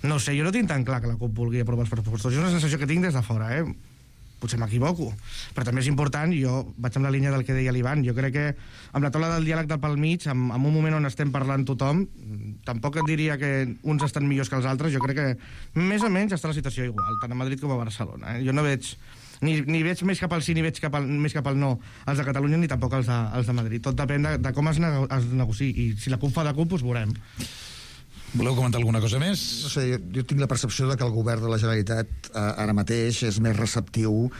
no sé, jo no tinc tan clar que la CUP vulgui aprovar els pressupostos. És una sensació que tinc des de fora, eh? Potser m'equivoco, però també és important, jo vaig amb la línia del que deia l'Ivan, jo crec que amb la taula del diàleg del pel mig, en, en un moment on estem parlant tothom, tampoc et diria que uns estan millors que els altres, jo crec que més o menys està la situació igual, tant a Madrid com a Barcelona. Eh? Jo no veig, ni, ni veig més cap al sí ni veig cap al, més cap al no els de Catalunya ni tampoc els de, els de Madrid. Tot depèn de, de com es, nego, es negociï, i si la CUP fa de CUP, doncs veurem. Voleu comentar alguna cosa més? No sé, jo, jo tinc la percepció de que el govern de la Generalitat eh, ara mateix és més receptiu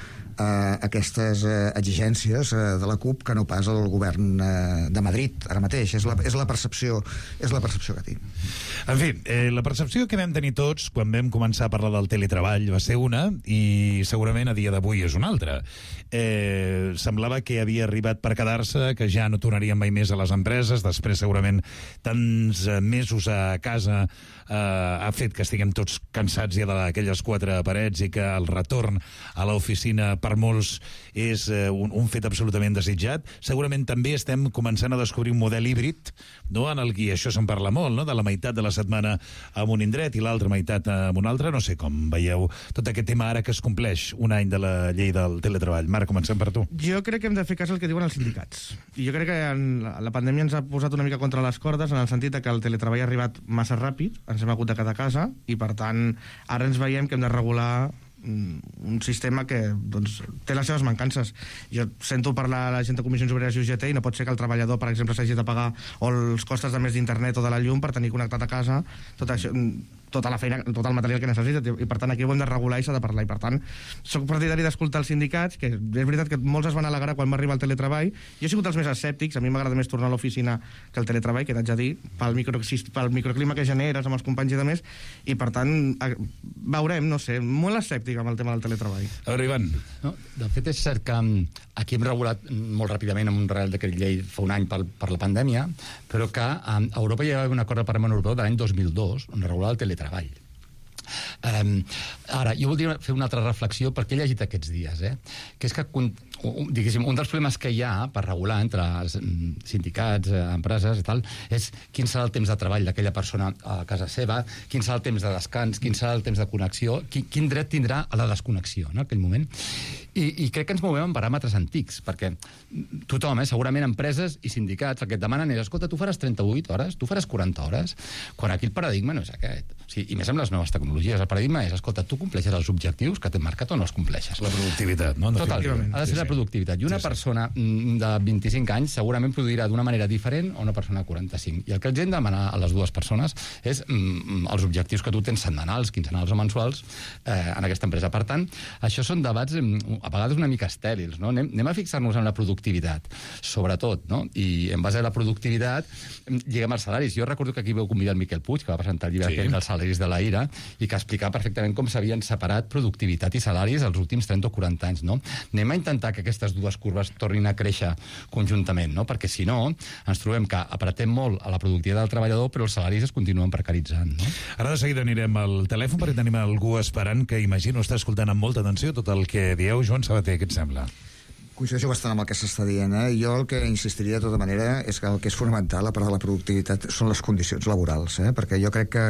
a aquestes eh, exigències eh, de la CUP que no pas el govern eh, de Madrid ara mateix. És la, és la percepció és la percepció que tinc. En fi, eh, la percepció que vam tenir tots quan vam començar a parlar del teletreball va ser una, i segurament a dia d'avui és una altra. Eh, semblava que havia arribat per quedar-se, que ja no tornaríem mai més a les empreses, després segurament tants mesos a casa eh, ha fet que estiguem tots cansats ja d'aquelles quatre parets i que el retorn a l'oficina per molts és eh, un, un fet absolutament desitjat. Segurament també estem començant a descobrir un model híbrid, no? En el que això se'n parla molt, no? De la meitat de la setmana en un indret i l'altra meitat en un altre. No sé com veieu tot aquest tema ara que es compleix un any de la llei del teletreball. Marc, comencem per tu. Jo crec que hem de fer cas al que diuen els sindicats. I jo crec que en la, la pandèmia ens ha posat una mica contra les cordes en el sentit que el teletreball ha arribat massa ràpid, ens hem hagut de quedar a casa i per tant ara ens veiem que hem de regular un sistema que doncs, té les seves mancances. Jo sento parlar a la gent de Comissions Obreres i U G T i no pot ser que el treballador, per exemple, s'hagi de pagar o els costes de més d'internet o de la llum per tenir connectat a casa tot això, tota la feina, tot el material que necessita, i per tant aquí ho hem de regular i s'ha de parlar, i per tant soc partidari d'escoltar els sindicats, que és veritat que molts es van alegrar quan va arribar el teletreball. Jo he sigut els més escèptics, a mi m'agrada més tornar a l'oficina que el teletreball, que t'haig de dir, pel, micro, pel microclima que generes amb els companys i de més, i per tant veurem, no sé, molt escèptic amb el tema del teletreball. A veure, Ivan. No, de fet, és cert que aquí hem regulat molt ràpidament amb un Real Decret Llei fa un any per, per la pandèmia, però que a Europa hi ha un acord del Parlament Europeu de l'any dos mil dos on regulava el teletreball. Um, ara, jo voldria fer una altra reflexió perquè he llegit aquests dies, eh? que és que diguéssim, un dels problemes que hi ha per regular entre sindicats, empreses i tal, és quin serà el temps de treball d'aquella persona a casa seva, quin serà el temps de descans, quin serà el temps de connexió, quin, quin dret tindrà a la desconnexió, no?, en aquell moment. I, i crec que ens movem en paràmetres antics, perquè tothom, eh, segurament empreses i sindicats, el que et demanen és, escolta, tu faràs trenta-vuit hores, tu faràs quaranta hores, quan aquí el paradigma no és aquest. O sigui, i més amb les noves tecnologies, el paradigma és, escolta, tu compleixes els objectius que t'hem marcat o no els compleixes. La productivitat, no? Total, ha de ser la productivitat. I una sí, sí. persona de vint-i-cinc anys segurament produirà d'una manera diferent a una persona de quaranta-cinc. I el que els hem de demanar a les dues persones és mm, els objectius que tu tens setmanals, quinzenals o mensuals eh, en aquesta empresa. Per tant, això són debats a vegades una mica estèrils, no? Anem, anem a fixar-nos en la productivitat, sobretot, no? I en base a la productivitat lliguem els salaris. Jo recordo que aquí vau convidar el Miquel Puig, que va presentar el llibre sí. aquell dels salaris de la ira, i que explicava perfectament com s'havien separat productivitat i salaris els últims trenta o quaranta anys, no? Anem a intentar que aquestes dues curves tornin a créixer conjuntament, no? Perquè si no, ens trobem que apretem molt a la productivitat del treballador, però els salaris es continuen precaritzant, no? Ara de seguida anirem al telèfon perquè tenim algú esperant que imagino està escoltant amb molta atenció tot el que dieu. Joan Sabater, què et sembla? Coincideixo bastant amb el que s'està dient. Eh? Jo el que insistiria de tota manera és que el que és fonamental, a part de la productivitat, són les condicions laborals. Eh? Perquè jo crec que,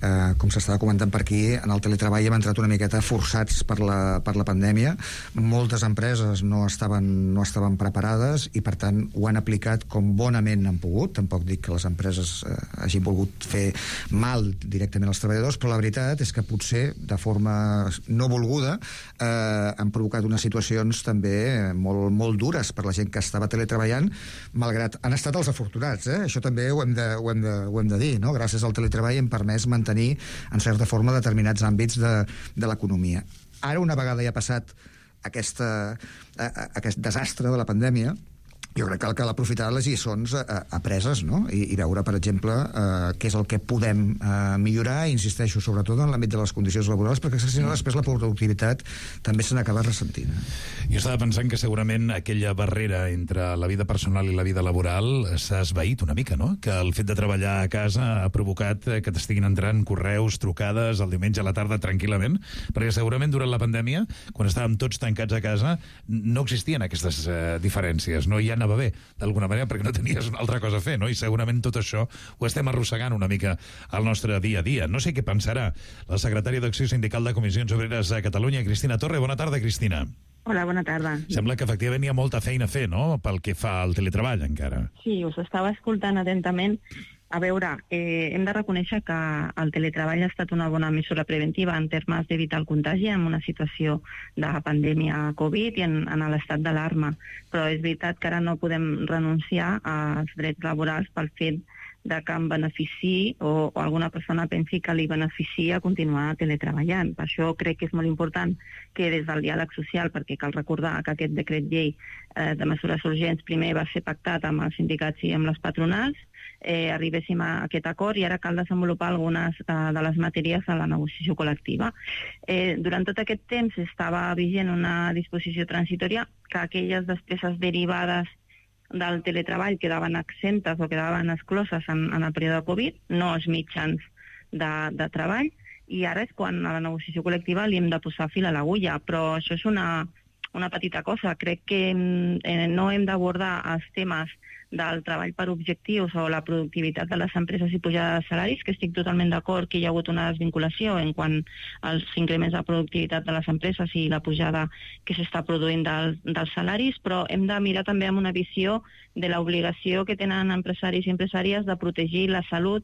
eh, com s'estava comentant per aquí, en el teletreball hem entrat una miqueta forçats per la, per la pandèmia. Moltes empreses no estaven, no estaven preparades i, per tant, ho han aplicat com bonament han pogut. Tampoc dic que les empreses eh, hagin volgut fer mal directament als treballadors, però la veritat és que potser, de forma no volguda, eh, han provocat unes situacions també eh, molt, molt dures per la gent que estava teletreballant, malgrat han estat els afortunats, eh? Això també ho hem de, ho hem de, ho hem de dir, no? Gràcies al teletreball hem permès mantenir, en certa forma, determinats àmbits de, de l'economia. Ara, una vegada ja ha passat aquesta, aquest desastre de la pandèmia, jo crec que cal aprofitar les lliçons eh, apreses, no? I, i veure, per exemple, eh, què és el que podem eh, millorar, i insisteixo sobretot en l'àmbit de les condicions laborals, perquè si no després la productivitat també se n'acaba ressentint. Jo estava pensant que segurament aquella barrera entre la vida personal i la vida laboral s'ha esvaït una mica, no? Que el fet de treballar a casa ha provocat que t'estiguin entrant correus, trucades el diumenge a la tarda tranquil·lament, perquè segurament durant la pandèmia, quan estàvem tots tancats a casa, no existien aquestes eh, diferències, no? Ja anava bé, d'alguna manera, perquè no tenies una altra cosa a fer, no? I segurament tot això ho estem arrossegant una mica al nostre dia a dia. No sé què pensarà la secretària d'Acció Sindical de Comissions Obreres a Catalunya, Cristina Torre. Bona tarda, Cristina. Hola, bona tarda. Sembla que efectivament hi ha molta feina a fer, no?, pel que fa al teletreball, encara. Sí, us estava escoltant atentament. A veure, eh, hem de reconèixer que el teletreball ha estat una bona mesura preventiva en termes d'evitar el contagi en una situació de pandèmia Covid i en, en l'estat d'alarma. Però és veritat que ara no podem renunciar als drets laborals pel fet de que em benefici o, o alguna persona pensi que li beneficia continuar teletreballant. Per això crec que és molt important que des del diàleg social, perquè cal recordar que aquest decret llei eh, de mesures urgents primer va ser pactat amb els sindicats i amb les patronals, eh, arribéssim a aquest acord i ara cal desenvolupar algunes eh, de les matèries a la negociació col·lectiva. Eh, durant tot aquest temps estava vigent una disposició transitòria que aquelles despeses derivades del teletreball quedaven exemptes o quedaven excloses en, en el període de Covid, no els mitjans de, de treball, i ara és quan a la negociació col·lectiva li hem de posar fil a l'agulla, però això és una, una petita cosa. Crec que eh, no hem d'abordar els temes del treball per objectius o la productivitat de les empreses i pujada de salaris, que estic totalment d'acord que hi ha hagut una desvinculació en quant als increments de productivitat de les empreses i la pujada que s'està produint del, dels salaris, però hem de mirar també amb una visió de l'obligació que tenen empresaris i empresàries de protegir la salut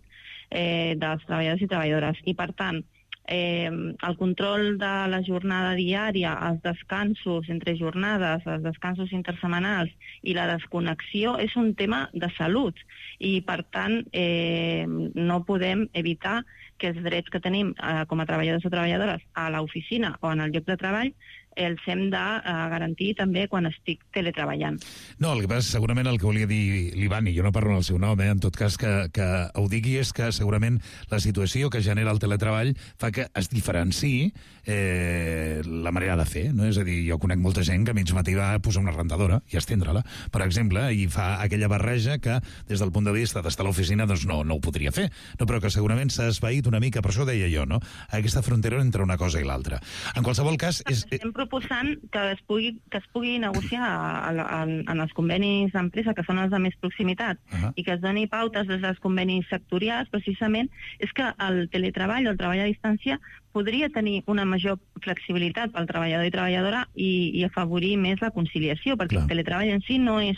eh, dels treballadors i treballadores. I, per tant, Eh, el control de la jornada diària, els descansos entre jornades, els descansos intersetmanals i la desconnexió és un tema de salut i, per tant, eh, no podem evitar que els drets que tenim eh, com a treballadors o treballadores a l'oficina o en el lloc de treball els hem de uh, garantir també quan estic teletreballant. No, el que passa, segurament el que volia dir l'Ivan, i jo no parlo en el seu nom, eh, en tot cas que, que ho digui, és que segurament la situació que genera el teletreball fa que es diferenciï eh, la manera de fer, no? És a dir, jo conec molta gent que a mig matí va posar una rentadora i estendre-la, per exemple, i fa aquella barreja que des del punt de vista d'estar a l'oficina doncs no, no ho podria fer, no, però que segurament s'ha esvaït una mica, per això deia jo, no? Aquesta frontera entre una cosa i l'altra. En qualsevol cas... És... Estem proposant que es pugui, que es pugui negociar a, a, a, en els convenis d'empresa, que són els de més proximitat, uh-huh. i que es doni pautes des dels convenis sectorials, precisament, és que el teletreball o el treball a distància podria tenir una major flexibilitat pel treballador i treballadora i, i afavorir més la conciliació, perquè Clar. el teletreball en si no és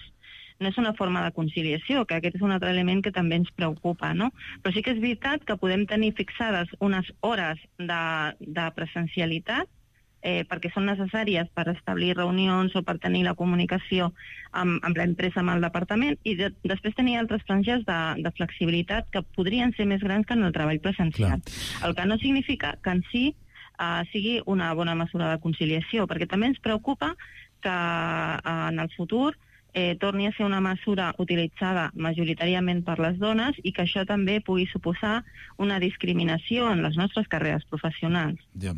no és una forma de conciliació, que aquest és un altre element que també ens preocupa, no? Però sí que és veritat que podem tenir fixades unes hores de, de presencialitat eh, perquè són necessàries per establir reunions o per tenir la comunicació amb, amb l'empresa, amb el departament, i de, després tenir altres franges de, de flexibilitat que podrien ser més grans que en el treball presencial. Clar. El que no significa que en si eh, sigui una bona mesura de conciliació, perquè també ens preocupa que eh, en el futur Eh, torni a ser una mesura utilitzada majoritàriament per les dones i que això també pugui suposar una discriminació en les nostres carreres professionals. Ja.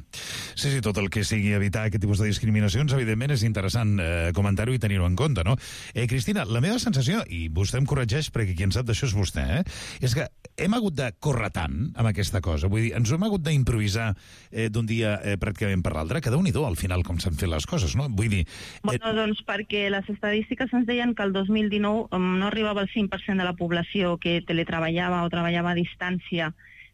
Sí, sí, tot el que sigui evitar aquest tipus de discriminacions, evidentment és interessant eh, comentar-ho i tenir-ho en compte, no? Eh, Cristina, la meva sensació, i vostè em corregeix perquè qui en sap d'això és vostè, eh, és que hem hagut de córrer tant amb aquesta cosa, vull dir, ens hem hagut d'improvisar eh, d'un dia eh, pràcticament per l'altre, que déu-n'hi-do al final com s'han fet les coses, no? Vull dir... Eh... Bueno, doncs perquè les estadístiques ens deien que el dos mil dinou um, no arribava al cinc per cent de la població que teletreballava o treballava a distància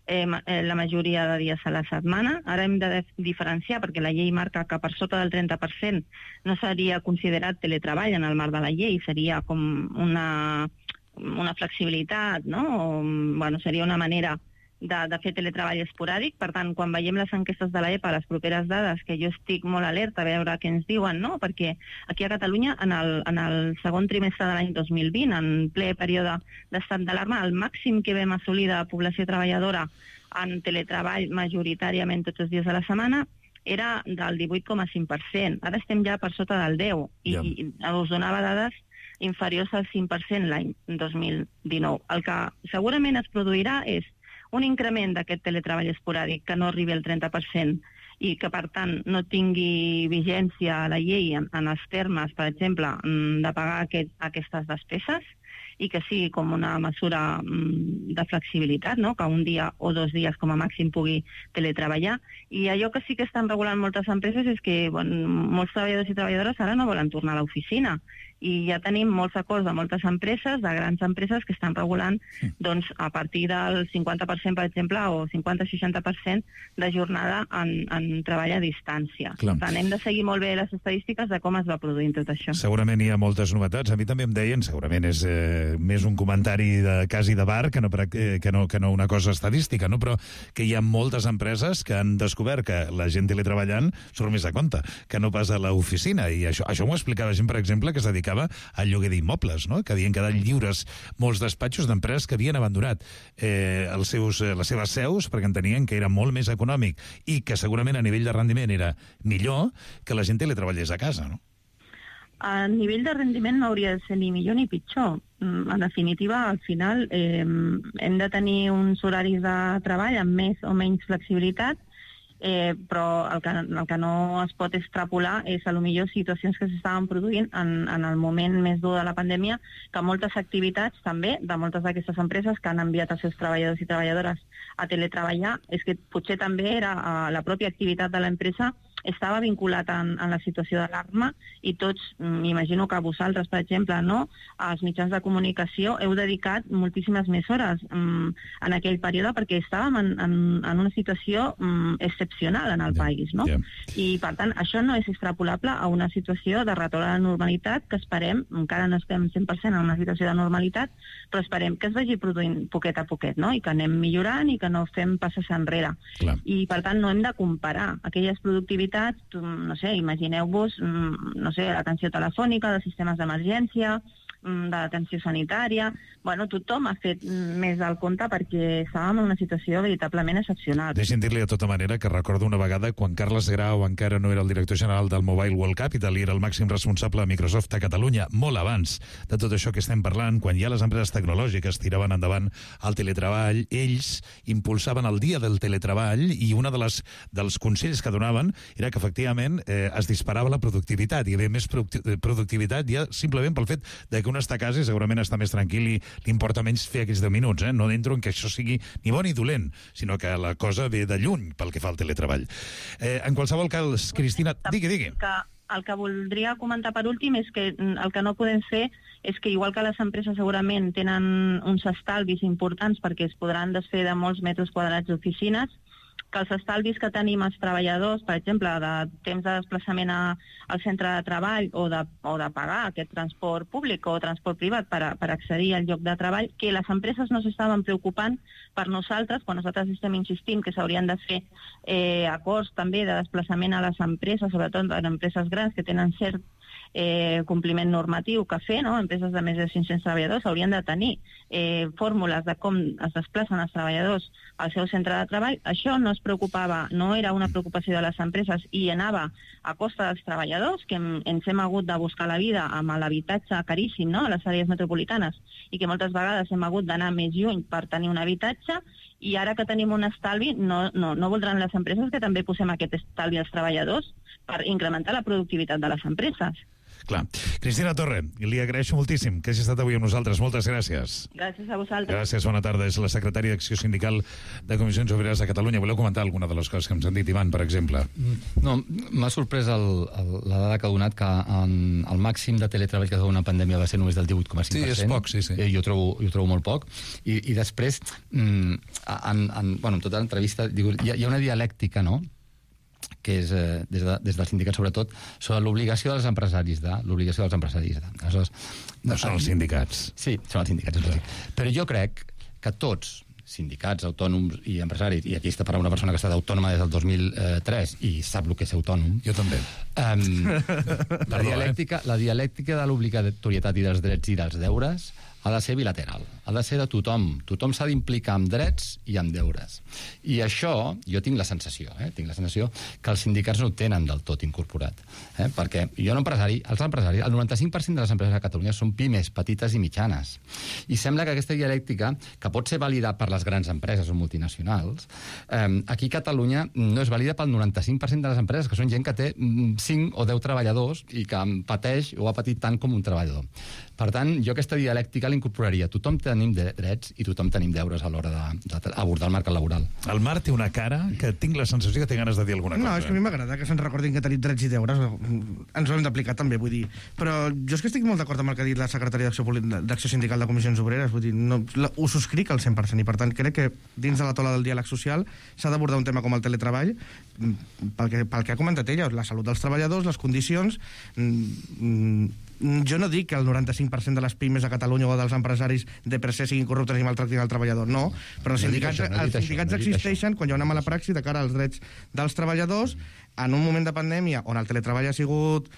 eh, la majoria de dies a la setmana. Ara hem de diferenciar, perquè la llei marca que per sota del trenta per cent no seria considerat teletreball en el marc de la llei, seria com una, una flexibilitat, no? O, bueno, seria una manera de, de fer teletreball esporàdic. Per tant, quan veiem les enquestes de l'E P A, les properes dades, que jo estic molt alerta a veure què ens diuen, no? Perquè aquí a Catalunya, en el, en el segon trimestre de l'any dos mil vint, en ple període d'estat d'alarma, el màxim que vam assolir de població treballadora en teletreball majoritàriament tots els dies de la setmana era del divuit coma cinc per cent. Ara estem ja per sota del deu, i, yeah. i us donava dades inferiors al cinc per cent l'any dos mil dinou. El que segurament es produirà és un increment d'aquest teletreball esporàdic que no arribi al trenta per cent i que, per tant, no tingui vigència a la llei en, en els termes, per exemple, de pagar aquest, aquestes despeses, i que sigui com una mesura de flexibilitat, no? Que un dia o dos dies com a màxim pugui teletreballar. I allò que sí que estan regulant moltes empreses és que bueno, molts treballadors i treballadores ara no volen tornar a l'oficina. I ja tenim molts acords de moltes empreses, de grans empreses, que estan regulant doncs, a partir del cinquanta per cent, per exemple, o cinquanta-seixanta per cent de jornada en, en treball a distància. Clar. Per tant, hem de seguir molt bé les estadístiques de com es va produint tot això. Segurament hi ha moltes novetats. A mi també em deien, segurament és eh, més un comentari de quasi de bar que no, eh, que, no, que no una cosa estadística, no? Però que hi ha moltes empreses que han descobert que la gent teletreballant surt més a compte, que no pas a l'oficina. I això, això m'ho explicava gent, per exemple, que es dedicava al lloguer d'immobles, no? Que havien quedat lliures molts despatxos d'empreses que havien abandonat eh, els seus, eh, les seves seus perquè entenien que era molt més econòmic i que segurament a nivell de rendiment era millor que la gent teletreballés a casa, no? A nivell de rendiment no hauria de ser ni millor ni pitjor. En definitiva, al final eh, hem de tenir uns horaris de treball amb més o menys flexibilitat, eh, però el que, el que no es pot extrapolar és a lo millor situacions que s'estaven produint en, en el moment més dur de la pandèmia, que moltes activitats també de moltes d'aquestes empreses que han enviat els seus treballadors i treballadores a teletreballar, és que potser també era eh, la pròpia activitat de l'empresa estava vinculat en, en la situació d'alarma i tots, m'imagino que vosaltres, per exemple, no, als mitjans de comunicació heu dedicat moltíssimes més hores um, en aquell període perquè estàvem en, en, en una situació um, excepcional en el yeah, país, no? Yeah. I, per tant, això no és extrapolable a una situació de retorn a la normalitat que esperem, encara no estem cent per cent en una situació de normalitat, però esperem que es vagi produint poquet a poquet, no? I que anem millorant i que no fem passes enrere. Clar. I, per tant, no hem de comparar aquelles productivitats, no sé, imagineu-vos, no sé, l'atenció telefònica, dels sistemes d'emergència, de l'atenció sanitària. Bueno, tothom ha fet més del compte perquè estàvem en una situació veritablement excepcional. Deixi'm dir-li de tota manera que recordo una vegada quan Carles Grau encara no era el director general del Mobile World Capital i era el màxim responsable de Microsoft a Catalunya, molt abans de tot això que estem parlant, quan ja les empreses tecnològiques tiraven endavant el teletreball, ells impulsaven el dia del teletreball i una de les dels consells que donaven era que efectivament eh, es disparava la productivitat, hi havia més productivitat ja simplement pel fet de que un està a casa i segurament està més tranquil i li importa menys fer aquells deu minuts, eh? No entro en que això sigui ni bo ni dolent, sinó que la cosa ve de lluny pel que fa al teletreball. Eh, en qualsevol cas, Cristina, digui, digui. Que el que voldria comentar per últim és que el que no podem fer és que igual que les empreses segurament tenen uns estalvis importants perquè es podran desfer de molts metres quadrats d'oficines, que els estalvis que tenim els treballadors, per exemple, de temps de desplaçament a, al centre de treball o de, o de pagar aquest transport públic o transport privat per, a, per accedir al lloc de treball, que les empreses no s'estaven preocupant per nosaltres, quan nosaltres estem insistint que s'haurien de fer eh, acords també de desplaçament a les empreses, sobretot en empreses grans que tenen cert eh, compliment normatiu que fer, no? Empreses de més de cinc-cents treballadors haurien de tenir eh, fórmules de com es desplacen els treballadors al seu centre de treball. Això no es preocupava, no era una preocupació de les empreses i anava a costa dels treballadors, que ens hem hagut de buscar la vida amb l'habitatge caríssim, no?, a les àrees metropolitanes, i que moltes vegades hem hagut d'anar més lluny per tenir un habitatge, i ara que tenim un estalvi no, no, no voldran les empreses que també posem aquest estalvi als treballadors per incrementar la productivitat de les empreses. Clar. Cristina Torre, li agraeixo moltíssim que hagi estat avui amb nosaltres. Moltes gràcies. Gràcies a vosaltres. Gràcies, bona tarda. És la secretària d'Acció Sindical de Comissions Obreres de Catalunya. Voleu comentar alguna de les coses que ens han dit, Ivan, per exemple? No, m'ha sorprès el, el, la dada que ha donat, que en, el màxim de teletreball que ha donat una pandèmia va ser només del divuit coma cinc per cent. Sí, és poc, sí, sí. Eh, jo, trobo, jo trobo molt poc. I, i després, mm, en, en, bueno, en tota l'entrevista, diu, hi, ha, hi ha una dialèctica, no?, que és, eh, des, de, des del sindicat sobretot, sobre l'obligació dels empresaris de, l'obligació dels empresaris de. Aleshores, no són els sindicats. Sí, són els sindicats. Sí. Però jo crec que tots, sindicats, autònoms i empresaris, i aquí està parlant una persona que ha estat autònoma des del dos mil tres i sap el que és autònom. Jo també. Um, la, dialèctica, la dialèctica de l'obligatorietat i dels drets i dels deures ha de ser bilateral, ha de ser de tothom. Tothom s'ha d'implicar amb drets i amb deures. I això, jo tinc la sensació, eh? tinc la sensació que els sindicats no ho tenen del tot incorporat. Eh? Perquè jo no empresari, els empresaris, el noranta-cinc per cent de les empreses a Catalunya són pimes, petites i mitjanes. I sembla que aquesta dialèctica, que pot ser vàlida per les grans empreses o multinacionals, eh, aquí a Catalunya no és vàlida pel noranta-cinc per cent de les empreses, que són gent que té cinc o deu treballadors i que pateix o ha patit tant com un treballador. Per tant, jo aquesta dialèctica l'incorporaria. Tothom tenim drets i tothom tenim deures a l'hora d'abordar el mercat laboral. El Marc té una cara que tinc la sensació que té ganes de dir alguna cosa. No, és que a mi m'agrada que se'ns recordin que tenim drets i deures. Ens ho hem d'aplicar també, vull dir. Però jo és que estic molt d'acord amb el que ha dit la secretària d'Acció Sindical de Comissions Obreres. Vull dir, no, ho subscric al cent per cent i, per tant, crec que dins de la taula del diàleg social s'ha d'abordar un tema com el teletreball, pel que, pel que ha comentat ella, la salut dels treballadors, les condicions. Jo no dic que el noranta-cinc per cent de les pimes a Catalunya o dels empresaris de per se siguin corruptes i maltractin el treballador, no. Però els sindicats, no els sindicats això, no existeixen quan hi ha una mala praxi de cara als drets dels treballadors en un moment de pandèmia on el teletreball ha sigut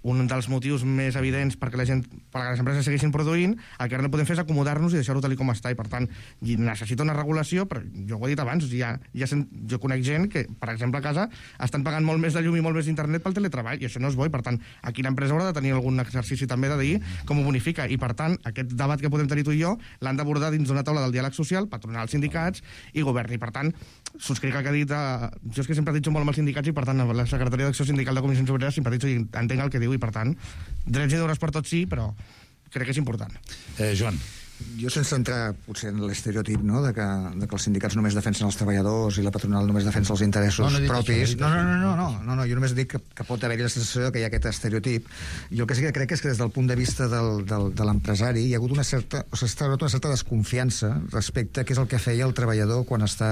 un dels motius més evidents perquè la gent, perquè les empreses segueixin produint. El que ara no podem fer és acomodar-nos i deixar-ho tal com està, i per tant necessita una regulació. Però jo ho he dit abans, ja, ja sent, jo conec gent que, per exemple, a casa estan pagant molt més de llum i molt més d'internet pel teletreball, i això no és bo, i per tant aquí l'empresa haurà de tenir algun exercici també de dir com ho bonifica, i per tant aquest debat que podem tenir tu i jo l'han d'abordar dins d'una taula del diàleg social, patronal, sindicats i govern. I per tant subscric el que ha dit, eh, jo és que sempre he dit molt amb els sindicats, i per tant la secretària d'Acció Sindical de Comissions Obreres simpatitzo i entenc el que diu, i per tant drets i deures per tots sí, però crec que és important. eh, Joan. Jo, sense entrar potser en l'estereotip, no?, de que, de que els sindicats només defensen els treballadors i la patronal només defensa els interessos no, no propis. Això, no, no, no, no, no, no, no, jo només dic que, que pot haver-hi la sensació que hi ha aquest estereotip. Jo el que sí que crec és que des del punt de vista del, del, de l'empresari hi ha hagut una certa, o s'ha una certa desconfiança respecte a què és el que feia el treballador quan està,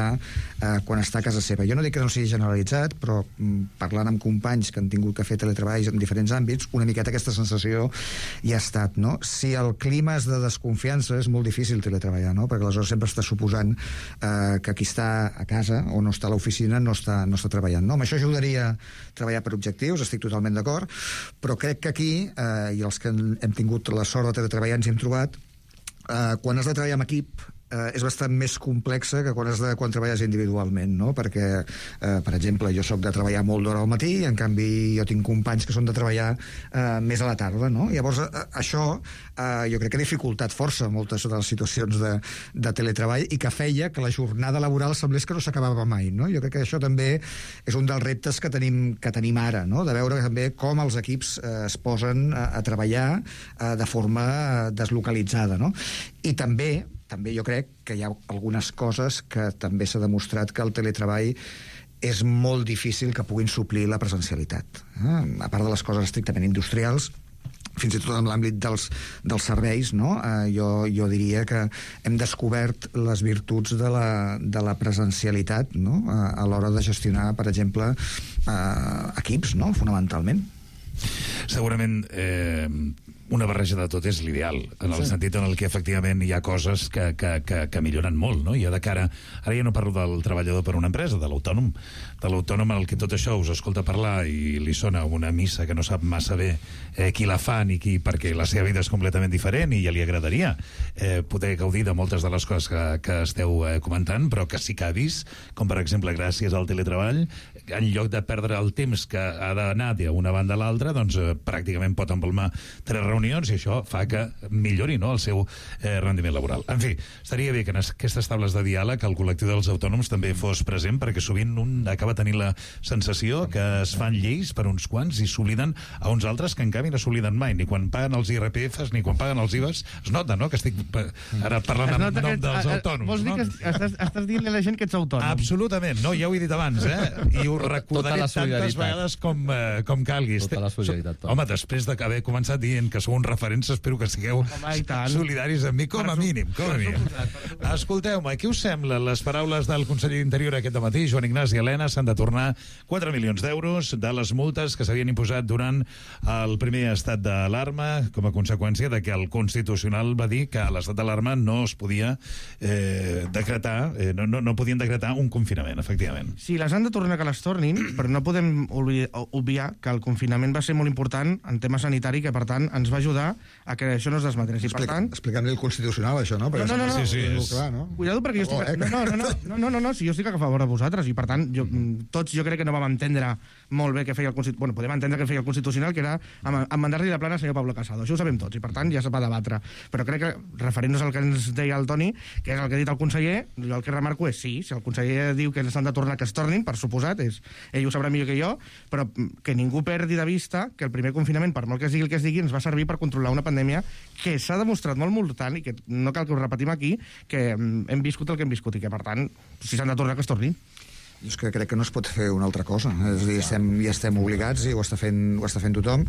eh, quan està a casa seva. Jo no dic que no sigui generalitzat, però mm, parlant amb companys que han tingut que fer teletreballs en diferents àmbits, una miqueta aquesta sensació hi ha estat, no? Si el clima és de desconfiança, és molt difícil teletreballar, no? Perquè aleshores sempre està suposant eh, que qui està a casa o no està a l'oficina no està, no està treballant, no? Amb això ajudaria a treballar per objectius, estic totalment d'acord, però crec que aquí, eh, i els que hem tingut la sort de teletreballar ens hi hem trobat, eh, quan has de treballar amb equip eh, és bastant més complexa que quan, has de, quan treballes individualment, no? Perquè, eh, per exemple, jo sóc de treballar molt d'hora al matí, en canvi jo tinc companys que són de treballar eh, més a la tarda, no? Llavors, eh, això eh, jo crec que ha dificultat força moltes de les situacions de, de teletreball, i que feia que la jornada laboral semblés que no s'acabava mai, no? Jo crec que això també és un dels reptes que tenim, que tenim ara, no? De veure també com els equips eh, es posen a, a treballar eh, de forma deslocalitzada, no? I també també jo crec que hi ha algunes coses que també s'ha demostrat que el teletreball és molt difícil que puguin suplir la presencialitat. Eh? A part de les coses estrictament industrials, fins i tot en l'àmbit dels, dels serveis, no? Eh, jo, jo diria que hem descobert les virtuts de la, de la presencialitat, no? A, a l'hora de gestionar, per exemple, eh, equips, no? Fonamentalment. Segurament eh, una barreja de tot és l'ideal, en el sí. sentit en el que efectivament hi ha coses que, que, que, que milloren molt, no? Jo de cara, ara ja no parlo del treballador per una empresa, de l'autònom, de l'autònom en el que tot això us escolta parlar i li sona una missa que no sap massa bé eh, qui la fa ni qui, perquè la seva vida és completament diferent i ja li agradaria eh, poder gaudir de moltes de les coses que, que esteu eh, comentant, però que sí que ha vist, com per exemple gràcies al teletreball, en lloc de perdre el temps que ha d'anar d'una banda a l'altra, doncs eh, pràcticament pot empalmar tres reunions, i això fa que millori, no?, el seu eh, rendiment laboral. En fi, estaria bé que en aquestes tables de diàleg el col·lectiu dels autònoms també fos present, perquè sovint un acaba tenint la sensació que es fan lleis per uns quants i s'obliden a uns altres que en canvi no s'obliden mai, ni quan paguen els I R P Fs ni quan paguen els I V As. Es nota, no?, que estic ara parlant en nom dels autònoms. Vols dir que estàs, estàs dient a la gent que ets autònom? Absolutament, no, ja ho he dit abans, eh? I ho recordaré tantes vegades com, eh, com calgui. Tota la solidaritat. Home, després d'haver començat dient que sou uns referents, espero que sigueu solidaris amb mi, com a mínim, com a mínim. Escolteu-me, què us sembla les paraules del conseller d'Interior aquest matí, Joan Ignasi Elena? S'han de tornar quatre milions d'euros de les multes que s'havien imposat durant el primer estat d'alarma, com a conseqüència de que el Constitucional va dir que a l'estat d'alarma no es podia eh, decretar, eh, no, no, no podien decretar un confinament, efectivament. Sí, les han de tornar que les tornin, però no podem obviar que el confinament va ser molt important en tema sanitari, que per tant ens va va ajudar a que això no es desmadrés. I, per tant... Explicant-li el Constitucional, això, no? Perquè no, no, no, no. Sí, sí, és... clar, no? Cuidado, perquè jo estic... Oh, eh? no, no, no, no, no, no, no, si jo estic a favor de vosaltres, i per tant, jo, tots jo crec que no vam entendre molt bé què feia el Constitucional. Bueno, podem entendre què feia el Constitucional, que era amb mandar-li la plana al senyor Pablo Casado. Això ho sabem tots, i per tant ja se va debatre. Però crec que, referint-nos al que ens deia el Toni, que és el que ha dit el conseller, jo el que remarco és sí, si el conseller diu que s'han de tornar, que es tornin, per suposat, és, ell ho sabrà millor que jo, però que ningú perdi de vista que el primer confinament, per molt que es digui el que es digui, ens va servir per controlar una pandèmia que s'ha demostrat molt mortal i que no cal que ho repetim aquí, que hem viscut el que hem viscut i que, per tant, si s'han de tornar, que es tornin. Jo és que crec que no es pot fer una altra cosa. És a dir, estem, ja estem obligats, i ho està, fent, ho està fent tothom.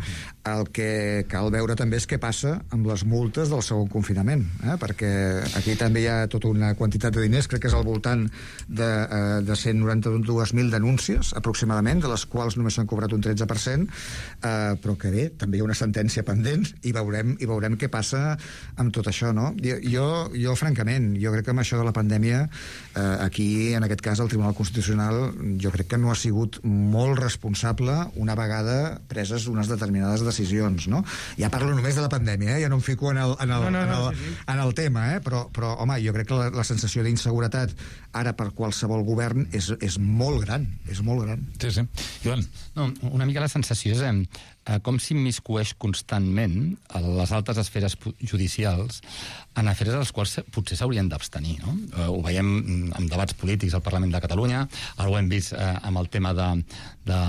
El que cal veure també és què passa amb les multes del segon confinament, eh? Perquè aquí també hi ha tota una quantitat de diners, crec que és al voltant de, eh, de cent noranta-dos mil denúncies, aproximadament, de les quals només s'han cobrat un tretze per cent, eh, però que bé, també hi ha una sentència pendent i veurem, i veurem què passa amb tot això, no? Jo, jo francament, jo crec que amb això de la pandèmia, eh, aquí, en aquest cas, el Tribunal Constitucional jo crec que no ha sigut molt responsable una vegada preses unes determinades decisions, no? Ja parlo només de la pandèmia, eh? Ja no em fico en el, en el, no, no, no, en el, sí, sí. en el tema, eh? Però, però, home, jo crec que la, la sensació d'inseguretat ara per qualsevol govern és, és molt gran, és molt gran. Sí, sí. Joan, no, una mica la sensació és eh, com s'immiscueix constantment a les altes esferes judicials en afers als quals potser s'haurien d'abstenir, no? Eh, ho veiem en debats polítics al Parlament de Catalunya, ara ho hem vist eh, amb el tema de, de,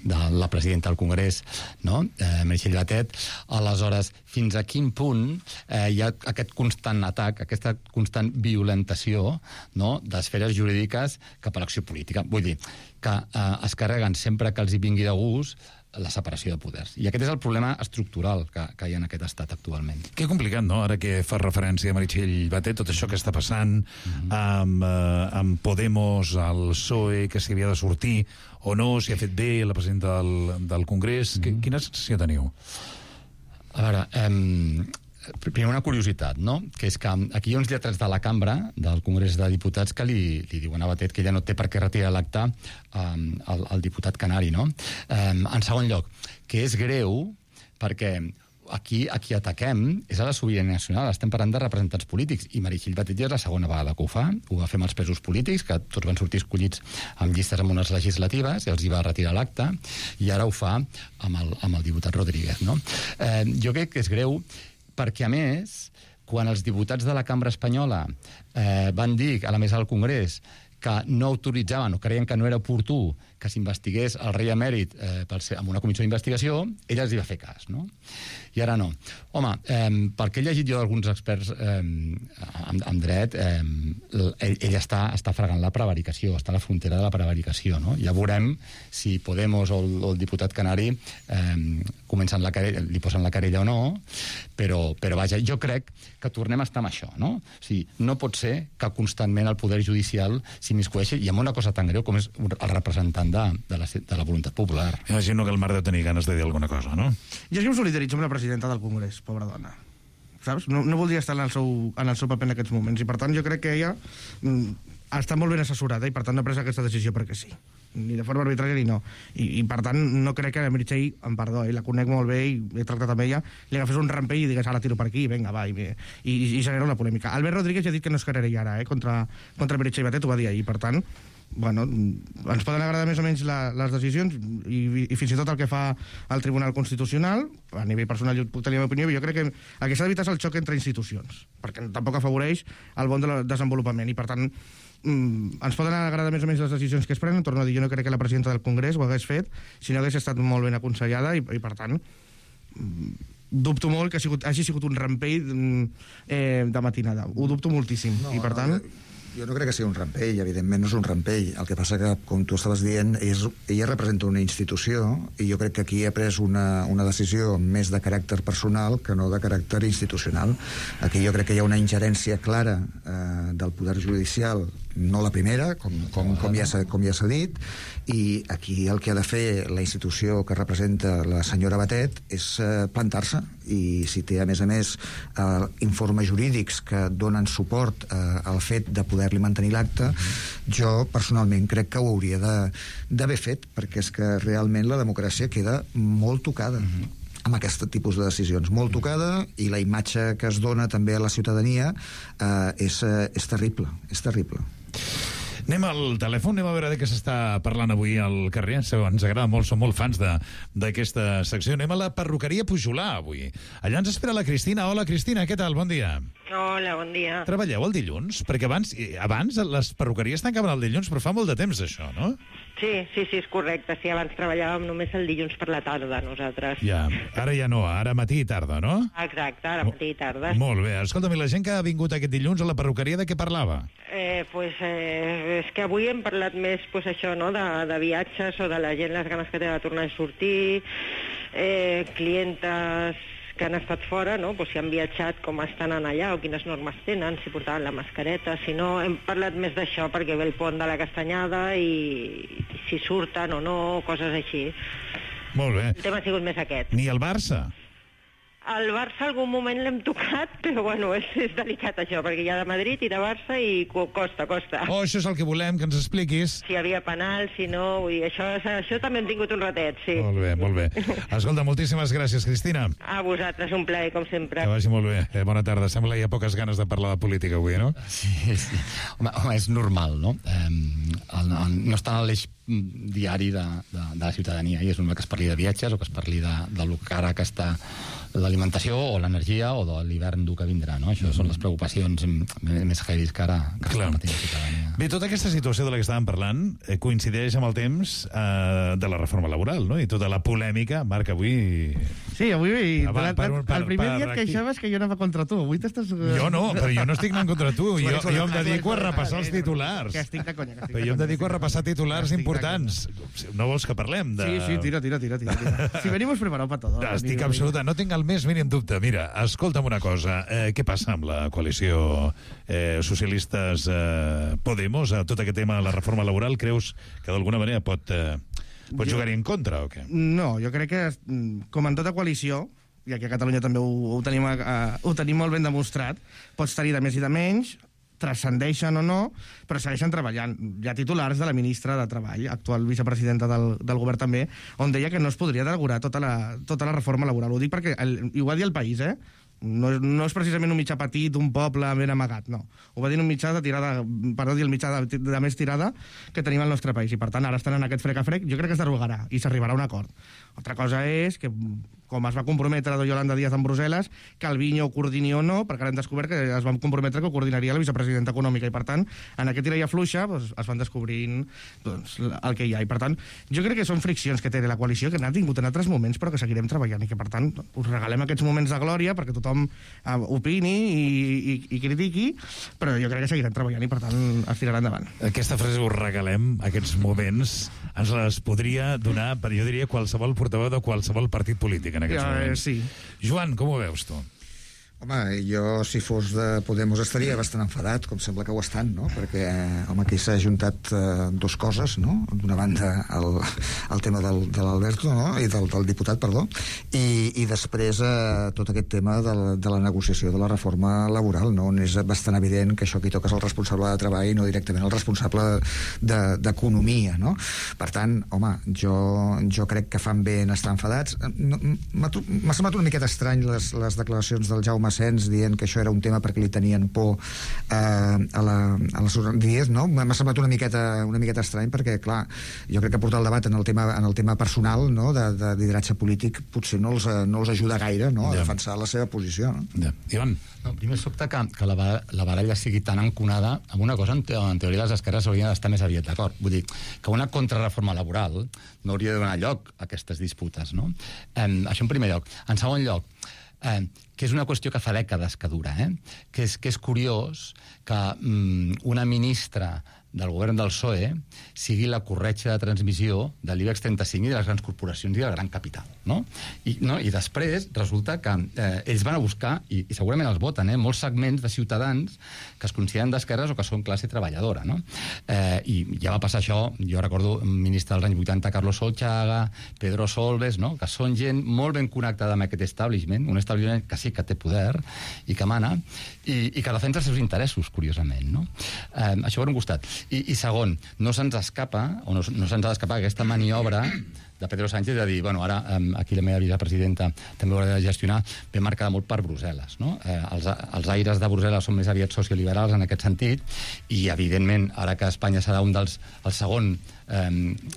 de la presidenta del Congrés, no? eh, Meritxell Batet. Aleshores, fins a quin punt eh, hi ha aquest constant atac, aquesta constant violentació, no?, d'esferes jurídiques cap a l'acció política. Vull dir, que eh, es carreguen sempre que els hi vingui de gust la separació de poders. I aquest és el problema estructural que, que hi ha en aquest estat actualment. Que complicat, no?, ara que fa referència a Meritxell Batet, tot això que està passant mm-hmm. amb, eh, amb Podemos, el P S O E, que s'hi havia de sortir o no, si ha fet bé la presidenta del, del Congrés. Mm-hmm. Quina sensació teniu? A veure, eh, primer una curiositat, no?, que és que aquí hi ha uns lletrats de la cambra del Congrés de Diputats que li, li diuen a Batet que ella no té per què retirar l'acte um, al, al diputat canari, no? Um, en segon lloc, que és greu perquè aquí a qui ataquem és a la sobirania nacional, estem parlant de representants polítics, i Meritxell Batet ja és la segona vegada que ho fa, ho va fer amb els presos polítics, que tots van sortir escollits amb llistes amb unes legislatives, i els hi va retirar l'acte, i ara ho fa amb el, amb el diputat Rodríguez, no? Eh, jo crec que és greu perquè, a més, quan els diputats de la cambra espanyola eh, van dir a la mesa del Congrés que no autoritzaven o creien que no era oportú que s'investigués el rei emèrit eh, pel ser, amb una comissió d'investigació, ella els hi va fer cas, no? I ara no. Home, eh, perquè he llegit jo d'alguns experts eh, amb, amb dret, eh, ell, ell està, està fregant la prevaricació, està a la frontera de la prevaricació, no? Ja veurem si Podemos o el, o el diputat canari eh, comencen la querella, li posen la querella o no, però, però vaja, jo crec que tornem a estar amb això, no? O sigui, no pot ser que constantment el poder judicial s'immiscueixi, i amb una cosa tan greu com és el representant de, de, la, de la voluntat popular. Imagino que el Marc deu tenir ganes de dir alguna cosa, no? Jo és que em solidaritzo amb la presidenta del Congrés, pobra dona. Saps? No, no voldria estar en el, seu, en el seu paper en aquests moments, i per tant jo crec que ella mm, està molt ben assessorada i per tant no ha pres aquesta decisió perquè sí. Ni de forma arbitrària ni no. I, i per tant no crec que la Meritxell, em perdó, eh, la conec molt bé i he tractat amb ella, li agafés un rampell i digués ara tiro per aquí, vinga, va, i, i, i genera una polèmica. Albert Rodríguez ja ha dit que no es querella ara, eh, contra, contra Meritxell Batet, ho va dir ahir, per tant bueno, ens poden agradar més o menys la, les decisions i, i fins i tot el que fa el Tribunal Constitucional. A nivell personal jo puc tenir la meva opinió, però jo crec que el que s'ha d'evitar és el xoc entre institucions, perquè tampoc afavoreix el bon desenvolupament, i per tant mm, ens poden agradar més o menys les decisions que es prenen. Torno a dir, jo no crec que la presidenta del Congrés ho hagués fet si no hagués estat molt ben aconsellada, i, i per tant mm, dubto molt que ha sigut, hagi sigut un rampell eh, de matinada. Ho dubto moltíssim, no, i per tant... No, jo no crec que sigui un rampell, evidentment no és un rampell. El que passa que, com tu estaves dient, és, ella representa una institució, i jo crec que aquí ha pres una, una decisió més de caràcter personal que no de caràcter institucional. Aquí jo crec que hi ha una ingerència clara eh, del poder judicial, no la primera, com, com, com ja s'ha com ja s'ha dit, i aquí el que ha de fer la institució que representa la senyora Batet és eh, plantar-se, i si té, a més a més, eh, informes jurídics que donen suport eh, al fet de poder-li mantenir l'acte, jo personalment crec que ho hauria d'haver fet, perquè és que realment la democràcia queda molt tocada. Mm-hmm. amb aquest tipus de decisions. Molt tocada, i la imatge que es dona també a la ciutadania eh, és, eh, és terrible, és terrible. Anem al telèfon, anem a veure de què s'està parlant avui al carrer. Ens agrada molt, som molt fans d'aquesta secció. Anem a la perruqueria Pujolà avui. Allà ens espera la Cristina. Hola, Cristina, què tal? Bon dia. Hola, bon dia. Treballeu el dilluns? Perquè abans, abans les perruqueries tancaven el dilluns, però fa molt de temps, això, no? Sí, sí, sí, és correcte. Sí, abans treballàvem només el dilluns per la tarda, nosaltres. Ja, ara ja no, ara matí i tarda, no? Exacte, ara matí i tarda. Molt bé. Escolta'm, i la gent que ha vingut aquest dilluns a la perruqueria, de què parlava? Eh, pues, eh, és que avui hem parlat més, pues, això, no?, de, de viatges o de la gent, les ganes que té de tornar a sortir, eh, clientes que han estat fora, no?, pues, si han viatjat, com estan allà, o quines normes tenen, si portaven la mascareta, si no, hem parlat més d'això perquè ve el pont de la Castanyada i, i si surten o no, coses així. Molt bé. El tema ha sigut més aquest. Ni el Barça? Al Barça algun moment l'hem tocat, però bueno, és, és delicat això, perquè hi ha de Madrid i de Barça i costa, costa. Oh, això és el que volem, que ens expliquis. Si hi havia penal, si no, vull dir, això, això també hem tingut un ratet, sí. Molt bé, molt bé. Escolta, moltíssimes gràcies, Cristina. A vosaltres, un plaer, com sempre. Que vagi molt bé. Eh, bona tarda. Sembla que hi ha poques ganes de parlar de política avui, no? Sí, sí. Home, home és normal, no? Eh, el, el, no està en l'eix diari de, de, de la ciutadania, i és normal que es parli de viatges o que es parli de, de lo que ara que està l'alimentació o l'energia o de l'hivern dur que vindrà, no? Això mm. són les preocupacions més heavies que ara que està patint la ciutadania. Bé, tota aquesta situació de la que estàvem parlant eh, coincideix amb el temps eh, de la reforma laboral, no? I tota la polèmica, Marc, avui... Sí, avui... Ah, va, per, per, el primer per, dia et queixaves que jo anava contra tu. Avui t'estàs... Jo no, però jo no estic anant contra tu. Jo, jo em dedico a repassar els titulars. Que estic de conya. Que estic però jo em dedico a repassar titulars importants. No vols que parlem de... Sí, sí, tira, tira, tira. tira. Si venimos preparados para todo. Estic absoluta, no tinc el més mínim dubte. Mira, escolta'm una cosa. Eh, què passa amb la coalició eh, socialistes eh, Podemos a tot aquest tema de la reforma laboral? Creus que d'alguna manera pot, eh, pot jo... jugar-hi en contra o què? No, jo crec que, com en tota coalició, i aquí a Catalunya també ho, ho, tenim, uh, ho tenim molt ben demostrat, pots tenir de més i de menys, transcendeixen o no, però segueixen treballant. Hi ha titulars de la ministra de Treball, actual vicepresidenta del, del govern també, on deia que no es podria derogar tota la, tota la reforma laboral. Ho dic perquè, el, i ho va dir el País, eh? No, no és precisament un mitjà petit, un poble ben amagat, no. Ho va dir un mitjà de tirada, perdó, dir el mitjà de, de més tirada que tenim al nostre país, i per tant ara estan en aquest frec a frec, jo crec que es derogarà i s'arribarà a un acord. Altra cosa és que, com es va comprometre la Yolanda Díaz en Brussel·les, Calviño ho coordini o no, perquè ara hem descobert que es van comprometre que ho coordinaria la vicepresidenta econòmica, i per tant, en aquest tira i afluixa doncs, es van descobrint doncs, el que hi ha, i per tant, jo crec que són friccions que té la coalició, que n'ha tingut en altres moments, però que seguirem treballant, i que per tant us regalem aquests moments de glòria perquè tothom uh, opini i, i, i critiqui, però jo crec que seguirem treballant i per tant es tirarà endavant. Aquesta frase us regalem, aquests moments, ens les podria donar, per jo diria, qualsevol portaveu de qualsevol partit polític en aquests ja, moments. Sí. Joan, com ho veus tu? Home, jo, si fos de Podemos, estaria bastant enfadat, com sembla que ho estan, no? Perquè, home, aquí s'ha ajuntat eh, dos coses, no? D'una banda, el, el tema del, de l'Alberto, no? I del, del diputat, perdó, i, i després eh, tot aquest tema de la, de la negociació de la reforma laboral, no? On és bastant evident que això qui toca és el responsable de treball i no directament el responsable d'economia, de, no? Per tant, home, jo, jo crec que fan bé en estar enfadats. M'ha semblat una miqueta estrany les, les declaracions del Jaume Sens dient que això era un tema perquè li tenien por eh, a, la, a les organitzacions, no? M'ha semblat una miqueta, una miqueta estrany perquè, clar, jo crec que portar el debat en el tema, en el tema personal, no? de, de lideratge polític potser no els, no els ajuda gaire, no? A ja. defensar la seva posició, no? Ja. Ivan? No, primer sobte que, que la, la baralla sigui tan enconada amb una cosa en, te, en teoria les esquerres haurien d'estar més aviat d'acord. Vull dir, que una contrarreforma laboral no hauria de donar lloc a aquestes disputes, no? Eh, això en primer lloc. En segon lloc, eh, que és una qüestió que fa dècades que dura, eh? que, és, que és curiós que mm, una ministra del govern del P S O E sigui la corretja de transmissió de l'IBEX trenta-cinc i de les grans corporacions i del gran capital, no? I, no? I després resulta que eh, ells van a buscar, i, i segurament els voten, eh, molts segments de ciutadans que es consideren d'esquerres o que són classe treballadora, no? Eh, I ja va passar això, jo recordo un ministre dels anys vuitanta, Carlos Solchaga, Pedro Solbes, no? Que són gent molt ben connectada amb aquest establishment, un establishment que sí que té poder i que mana, i, i que defensa els seus interessos, curiosament, no? Eh, això per un costat. I, i segon, no se'ns escapa, o no, no se'ns ha d'escapar aquesta maniobra de Pedro Sánchez de dir, bueno, ara um, aquí la meva vicepresidenta també ho haurà de gestionar, ve marcada molt per Brussel·les, no? Eh, els, els aires de Brussel·les són més aviat socioliberals en aquest sentit, i evidentment, ara que Espanya serà un dels, el segon eh,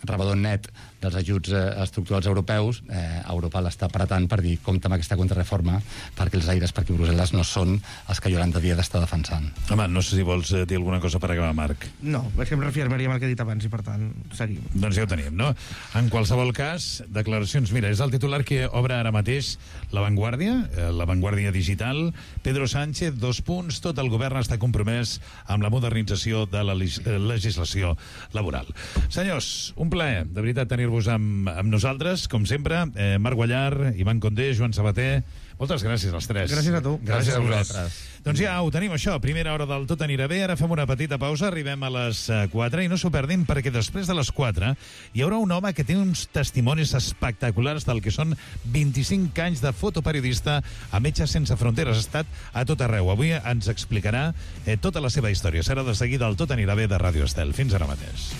rebedor net dels ajuts eh, estructurals europeus, eh, Europa l'està apretant per dir, compte amb aquesta contrarreforma, perquè els aires per aquí a Brussel·les no són els que Yolanda Díaz està defensant. Home, no sé si vols dir alguna cosa per acabar, Marc. No, és que em reafirmaria amb el que he dit abans i, per tant, seguim. Doncs ja ho tenim, no? En qualsevol cas, declaracions... Mira, és el titular que obre ara mateix La Vanguardia, eh, La Vanguardia Digital. Pedro Sánchez, dos punts, tot el govern està compromès amb la modernització de la legislació laboral. Senyors, un plaer, de veritat, tenir-vos amb, amb nosaltres, com sempre. Eh, Marc Guallar, Ivan Condé, Joan Sabater... Moltes gràcies als tres. Gràcies a tu. Gràcies, gràcies a vosaltres. Doncs ja ho tenim, això. Primera hora del Tot anirà bé. Ara fem una petita pausa. Arribem a les quatre i no s'ho perdin, perquè després de les quatre hi haurà un home que té uns testimonis espectaculars del que són vint-i-cinc anys de fotoperiodista a Metges Sense Fronteres. Ha estat a tot arreu. Avui ens explicarà eh, tota la seva història. Serà de seguida el Tot anirà bé de Ràdio Estel. Fins ara mateix.